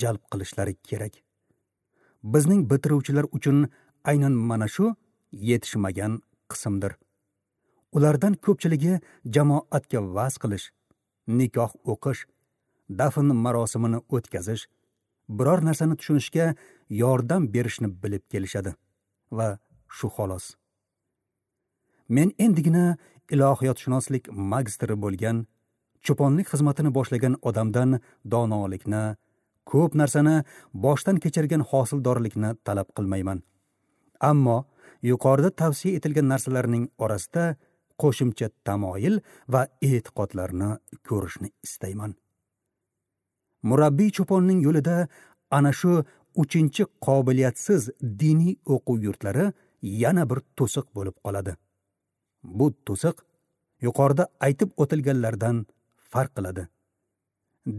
jalb qilishlari kerak. Bizning bitiruvchilar uchun aynan mana shu yetishmagan qismdir. Ulardan ko'pchiligi jamoatga va'z qilish, nikoh o'qish, dafn marosimini o'tkazish, biror narsani tushunishga yordam berishni bilib kelishadi va shu xolos. Men endigina ilohiyotshunoslik magistri bo'lgan, cho'ponlik xizmatini boshlagan odamdan donolikni, ko'p narsani boshdan kechirgan hosildorlikni talab qilmayman. Ammo yuqorida tavsiya etilgan narsalarning orasida qo'shimcha tamoyil va e'tiqodlarni ko'rishni istayman. Murabbiy cho'ponning yo'lida ana shu uchinchi qobiliyatsiz diniy o'quv yurtlari yana bir to'siq bo'lib qoladi. Bu to'siq yuqorida aytib o'tilganlardan farq qiladi.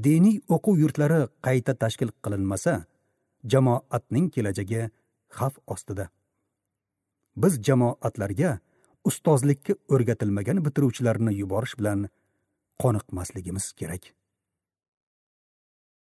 Diniy o'quv yurtlari qayta tashkil qilinmasa, jamoatning kelajagi xavf ostida. Biz jamoatlarga ustozlikka o'rgatilmagan bitiruvchilarni yuborish bilan qoniqmasligimiz kerak.